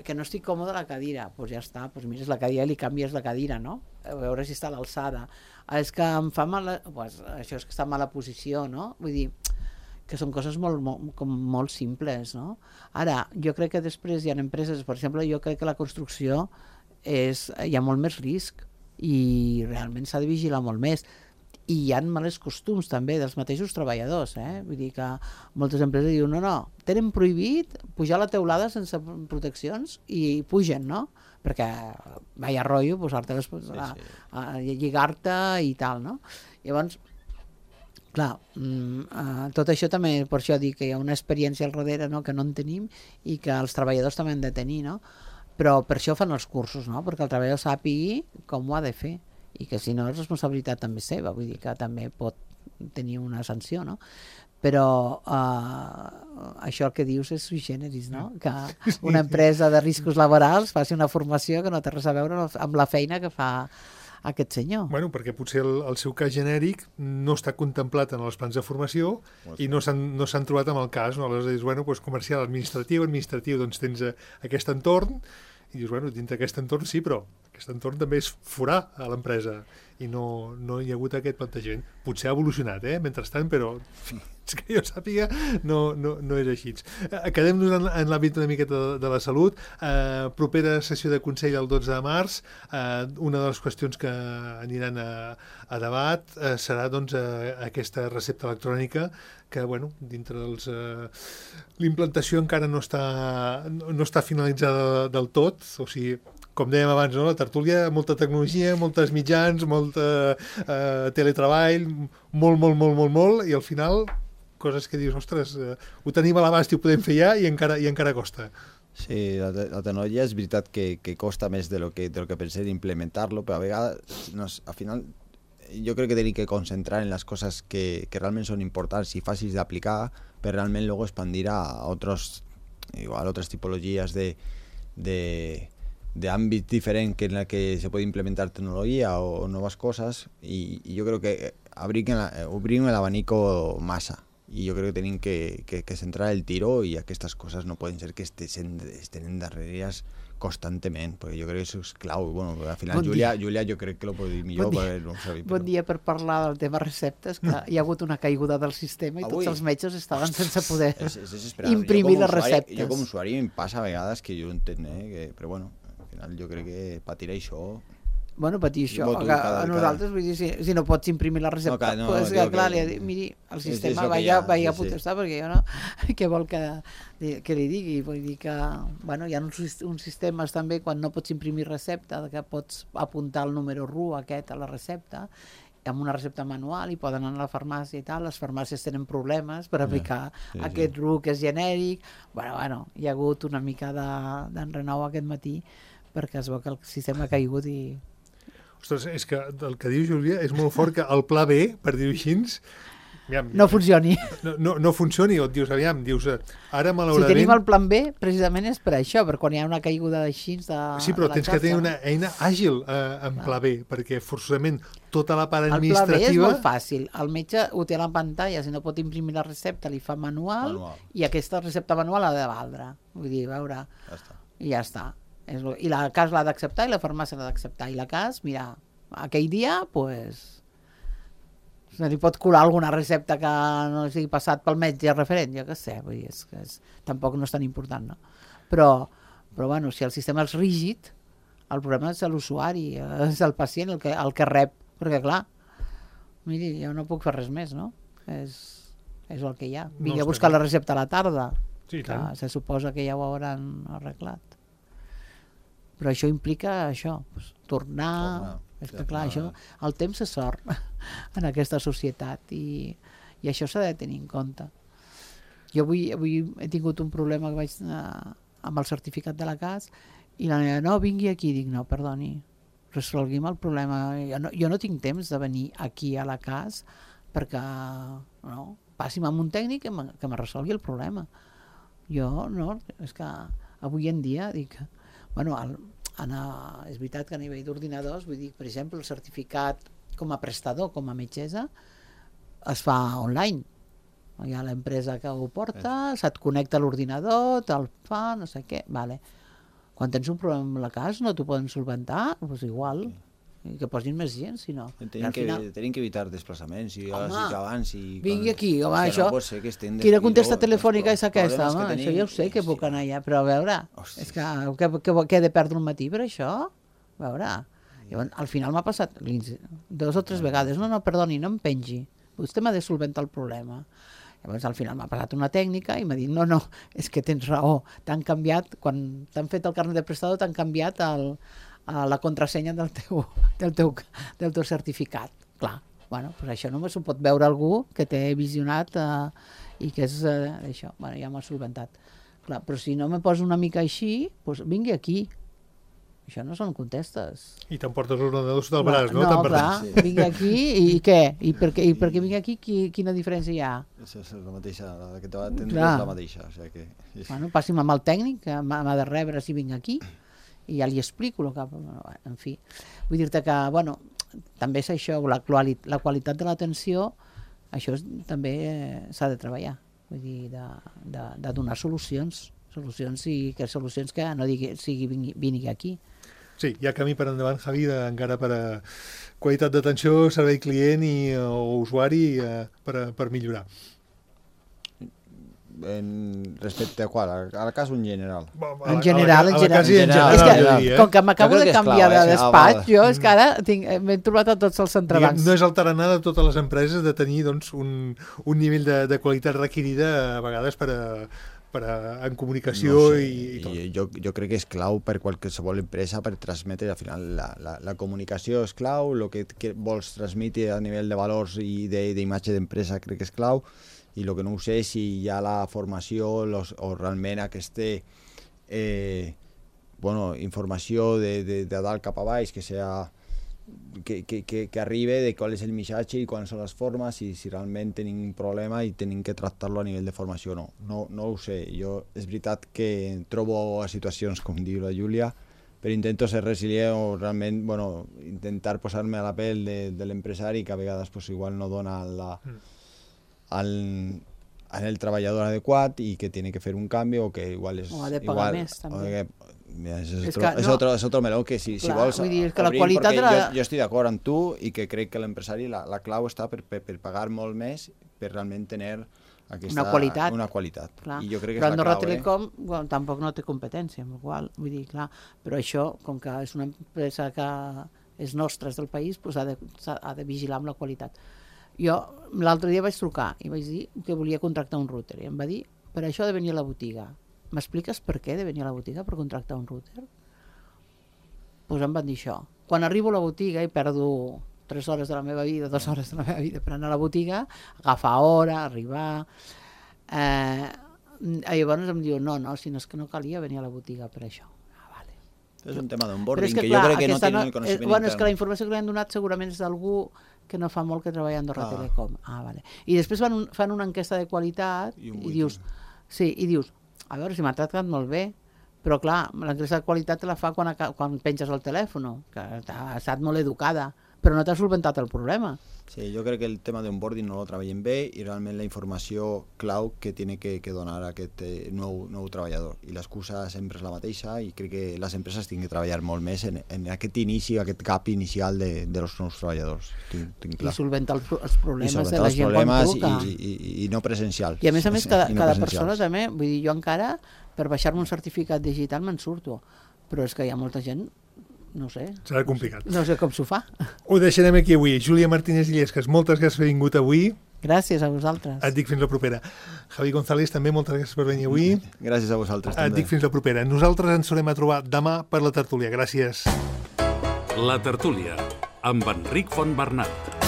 [SPEAKER 3] que no estic còmode a la cadira, doncs ja està, doncs mires la cadira i li canvies la cadira, no? A veure si està a l'alçada. És que em fa mala... Pues, això és que està en mala posició, no? Vull dir, que són coses molt, molt, com molt simples, no? Ara, jo crec que després hi ha empreses, per exemple, jo crec que la construcció és, hi ha molt més risc i realment s'ha de vigilar molt més. I hi ha males costums també dels mateixos treballadors, eh? Vull dir que moltes empreses diuen no, no, tenen prohibit pujar a la teulada sense proteccions i pugen, no? Perquè vaya rotllo posar-te les, sí, sí. a, a lligar-te i tal, no? Llavors, clar, uh, tot això també, per això dic que hi ha una experiència al darrere, no?, que no en tenim i que els treballadors també han de tenir, no? Però per això fan els cursos, no?, perquè el treballador sàpigui com ho ha de fer i que si no és responsabilitat també seva, vull dir que també pot tenir una sanció, no? Però uh, això el que dius és sui generis, no? Que una empresa de riscos laborals faci una formació que no té res a veure amb la feina que fa aquest senyor.
[SPEAKER 2] Bueno, perquè potser el, el seu cas genèric no està contemplat en els plans de formació i no s'han no s'han trobat amb el cas, no? Aleshores dius, bueno, doncs comercial, administratiu, administratiu, doncs tens aquest entorn i dius, bueno, dintre d'aquest entorn sí, però aquest entorn també és forar a l'empresa i no, no hi ha hagut aquest plantejament. Potser ha evolucionat, eh, mentrestant, però fins que jo sàpiga no, no, no és així. Quedem-nos en, en l'àmbit una miqueta de, de la salut. Eh, propera sessió de Consell el dotze de març. Eh, una de les qüestions que aniran a, a debat eh, serà doncs, eh, aquesta recepta electrònica que, bueno, dintre dels... Eh, l'implantació encara no està, no, no està finalitzada del tot, o sigui, com dèiem abans, no? La tertúlia, molta tecnologia, moltes mitjans, molt eh, teletreball, molt, molt, molt, molt, molt, i al final coses que dius, ostres, eh, ho tenim a l'abast i ho podem fer ja i encara, i encara costa.
[SPEAKER 4] Sí, la, la tecnologia és veritat que, que costa més de lo que, de lo que pensé d'implementar-lo, però a vegades, no, al final, jo crec que tenim que concentrar en les coses que, que realment són importants i fàcils d'aplicar per realment luego expandir a otros, igual, otras tipologías de... de de ámbito diferente que en la que se puede implementar tecnología o, o nuevas cosas y, y yo creo que abrir el abanico masa y yo creo que tienen que, que, que centrar el tiro y a que estas cosas no pueden ser que estén, estén en darrerías constantemente, porque yo creo que eso es clau. Bueno, al final bon Julia, Julia jo crec que lo pot dir millor.
[SPEAKER 3] Bon dia,
[SPEAKER 4] per, no saber,
[SPEAKER 3] però... bon dia per parlar del tema receptes, que hi ha hagut una caiguda del sistema i Avui, tots els metges estaven sense poder és, és imprimir les receptes.
[SPEAKER 4] Jo com a usuari em passa a vegades que jo entenc, eh, que, però bueno, jo crec que patir això...
[SPEAKER 3] Bueno, patir això, que cada, a nosaltres, vull dir, si, si no pots imprimir la recepta, no, no, pues, que, clar, que... li, miri, el sistema va ja, va ja sí, protestar, sí. Perquè jo no... Què vol que, que li digui? Vull dir que, bueno, hi ha uns, uns sistemes també, quan no pots imprimir recepta, que pots apuntar el número R U aquest a la recepta, amb una recepta manual i poden anar a la farmàcia i tal, les farmàcies tenen problemes per aplicar sí, sí, aquest R U que és genèric. Bueno, bueno, hi ha hagut una mica d'enrenou aquest matí perquè es veu que el sistema ha caigut i...
[SPEAKER 2] Ostres, és que el que diu Júlia és molt fort que el pla B, per dir-ho així, aviam,
[SPEAKER 3] no funcioni.
[SPEAKER 2] No, no, no funcioni, o et dius, aviam, dius, ara malauradament...
[SPEAKER 3] Si tenim el plan B, precisament és per això, per quan hi ha una caiguda d'així de
[SPEAKER 2] Sí, però tens xarxa. Que tenir una eina àgil eh, en pla B, perquè forçosament tota la part administrativa...
[SPEAKER 3] El pla B és molt fàcil. El metge ho té a la pantalla, si no pot imprimir la recepta, li fa manual, manual. I aquesta recepta manual ha de valdre. Vull dir, a veure... Ja està. I ja està. I la cas l'ha d'acceptar i la farmàcia l'ha d'acceptar. I la cas, mira, aquell dia, pues, se li pot colar alguna recepta que no sigui passat pel metge referent, jo què sé, vull dir, és, és, tampoc no és tan important, no? Però, però bueno, si el sistema és rígid, el problema és l'usuari, és el pacient el que, el que rep, perquè clar, miri, jo no puc fer res més, no? És, és el que hi ha. Vingui no, a buscar la recepta a la tarda,
[SPEAKER 2] sí, que
[SPEAKER 3] se suposa que ja ho hauran arreglat. Però això implica això, pues, tornar, tornar, és que clar, això, el temps és sort en aquesta societat i, i això s'ha de tenir en compte. Jo avui, avui he tingut un problema que vaig anar amb el certificat de la C A S i la nena, no, vingui aquí, dic, no, perdoni, resolguim el problema, jo no, jo no tinc temps de venir aquí a la C A S perquè, no, passi'm amb un tècnic que me, que me resolgui el problema. Jo, no, és que avui en dia, dic, bueno, el, anar, és veritat que a nivell d'ordinadors, vull dir, per exemple, el certificat com a prestador, com a metgessa, es fa online. hi ha l'empresa que ho porta, se't connecta a l'ordinador, te'l fa, no sé què, vale. Quan tens un problema amb la casa no t'ho poden solventar, doncs igual, i que posin més gent, si no.
[SPEAKER 4] Tenim que, final... que evitar desplaçaments, i home, que abans... I
[SPEAKER 3] vingui aquí, home,
[SPEAKER 4] que
[SPEAKER 3] això...
[SPEAKER 4] No pot ser que estem
[SPEAKER 3] Quina contesta telefònica és aquesta, home? Tenim... Això ja ho sé, que puc anar allà, però a veure, Hòstia. és que, que, que, que he de perdre un matí per això? A veure... Llavors, al final m'ha passat dues o tres vegades, no, no, perdoni, no em pengi, vostè m'ha de solventar el problema. Llavors, al final m'ha passat una tècnica i m'ha dit, no, no, és que tens raó, t'han canviat, quan t'han fet el carnet de prestador, t'han canviat el, la contrasenya del teu, del, teu, del teu certificat. Clar, bueno, pues això només ho pot veure algú que té visionat eh, i que és eh, això, bueno, ja m'ho ha solventat. Clar, però si no me poso una mica així, doncs vingui aquí. Això no són contestes.
[SPEAKER 2] I t'emportes l'ordenador sota el braç, no?
[SPEAKER 3] No, clar, sí. Vinc aquí i què? I per què, i per què vinc aquí? Qui, quina diferència hi ha?
[SPEAKER 4] És la mateixa, la que te va atendre és la mateixa. O sigui que...
[SPEAKER 3] Bueno, passi'm amb el tècnic, que m'ha de rebre si vinc aquí, i ja li explico el que... En fi, vull dir-te que, bueno, també és això, la, quali- la qualitat de l'atenció, això és, també s'ha de treballar, vull dir, de, de, de donar solucions, solucions i que solucions que no digui, sigui vingui, vingui aquí.
[SPEAKER 2] Sí, hi ha camí per endavant, Javi, de, encara per a qualitat d'atenció, servei client i, o usuari eh, per, a, per millorar.
[SPEAKER 4] En respecte a qual? A la casa en general?
[SPEAKER 3] En general, en general.
[SPEAKER 2] En general,
[SPEAKER 3] és que,
[SPEAKER 2] diria, eh?
[SPEAKER 3] Com que m'acabo de canviar
[SPEAKER 4] clar,
[SPEAKER 3] de
[SPEAKER 4] eh?
[SPEAKER 3] despatx, jo és que ara m'he trobat a tots els entrebancs.
[SPEAKER 2] No és el tarannà de totes les empreses de tenir doncs, un, un nivell de, de qualitat requerida a vegades per a per a, en comunicació no sé, i, i tot.
[SPEAKER 4] I jo, jo crec que és clau per qualsevol empresa per transmetre, al final la, la, la comunicació és clau, el que, que vols transmetre a nivell de valors i d'imatge d'empresa crec que és clau, i el que no ho sé si hi ha la formació los, o realment aquesta eh, bueno, informació de, de, de dalt cap a baix que sea Que, que, que, que arribi de qual és el missatge i quines són les formes i si realment tenim un problema i tenim que tractar-lo a nivell de formació o no. no. No ho sé, jo és veritat que trobo a situacions, com diu la Júlia, però intento ser resilient o realment, bueno, intentar posar-me a la pell de, de l'empresari que a vegades pues, igual no dona la, al, al el treballador adequat i que tiene que fer un canvi o que igual és...
[SPEAKER 3] O ha de pagar
[SPEAKER 4] igual,
[SPEAKER 3] més, també.
[SPEAKER 4] Mira, és, és,
[SPEAKER 3] és,
[SPEAKER 4] otro,
[SPEAKER 3] que,
[SPEAKER 4] és,
[SPEAKER 3] no,
[SPEAKER 4] otro, és otro meló que si,
[SPEAKER 3] clar,
[SPEAKER 4] si vols
[SPEAKER 3] vull dir, que
[SPEAKER 4] obrim,
[SPEAKER 3] la qualitat de la...
[SPEAKER 4] jo, jo estic d'acord amb tu i que crec que l'empresari la, la clau està per, per, per pagar molt més per realment tenir aquesta,
[SPEAKER 3] una qualitat,
[SPEAKER 4] una qualitat.
[SPEAKER 3] Clar.
[SPEAKER 4] I jo crec que
[SPEAKER 3] però
[SPEAKER 4] és la
[SPEAKER 3] Andorra
[SPEAKER 4] clau,
[SPEAKER 3] Telecom
[SPEAKER 4] eh?
[SPEAKER 3] bueno, tampoc no té competència, amb la qual vull dir, clar, però això, com que és una empresa que és nostra, és del país, doncs ha de, ha de vigilar amb la qualitat. Jo l'altre dia vaig trucar i vaig dir que volia contractar un router i em va dir, per això ha de venir a la botiga. M'expliques per què de venir a la botiga per contractar un router? Doncs em van dir això. Quan arribo a la botiga i perdo tres hores de la meva vida, dues hores de la meva vida per anar a la botiga, agafar hora, arribar... Eh, llavors em diu, no, no, si no és que no calia venir a la botiga per això. Ah, vale.
[SPEAKER 4] És un tema d'onboarding que,
[SPEAKER 3] que,
[SPEAKER 4] que
[SPEAKER 3] clar,
[SPEAKER 4] jo crec que no tenen
[SPEAKER 3] no,
[SPEAKER 4] el coneixement
[SPEAKER 3] eh, bueno,
[SPEAKER 4] intern.
[SPEAKER 3] És que la informació que li han donat segurament és d'algú que no fa molt que treballa a Andorra ah. Telecom. Ah, vale. I després fan, un, fan una enquesta de qualitat i, i dius, sí, i dius, a veure si m'ha tractat molt bé, però clar, l'enquesta de qualitat te la fa quan, quan penges el telèfon, que ha estat molt educada, però no t'ha solventat el problema.
[SPEAKER 4] Sí, jo crec que el tema d'onboarding no lo treballen bé i realment la informació clau que tiene que, que donar aquest eh, nou, nou treballador. I l'excusa sempre és la mateixa i crec que les empreses tenen que treballar molt més en, en aquest inici, aquest cap inicial de, de los nous treballadors. Tinc, tinc clar.
[SPEAKER 3] I solventar els, els problemes
[SPEAKER 4] I
[SPEAKER 3] de la gent quan truca.
[SPEAKER 4] I, i, i no presencial.
[SPEAKER 3] I a més a més, cada, no cada persona també, vull dir, jo encara, per baixar-me un certificat digital me'n surto, però és que hi ha molta gent, no sé.
[SPEAKER 2] Serà complicat.
[SPEAKER 3] No sé com s'ho fa.
[SPEAKER 2] Ho deixarem aquí avui. Júlia Martínez Illescas, moltes gràcies per haver vingut avui.
[SPEAKER 3] Gràcies a vosaltres.
[SPEAKER 2] Et dic fins la propera. Javi González, també moltes gràcies per venir avui.
[SPEAKER 4] Gràcies a vosaltres.
[SPEAKER 2] Et
[SPEAKER 4] també.
[SPEAKER 2] dic fins la propera. Nosaltres ens tornem a trobar demà per la tertúlia. Gràcies.
[SPEAKER 1] La tertúlia, amb Enric Fontbernat.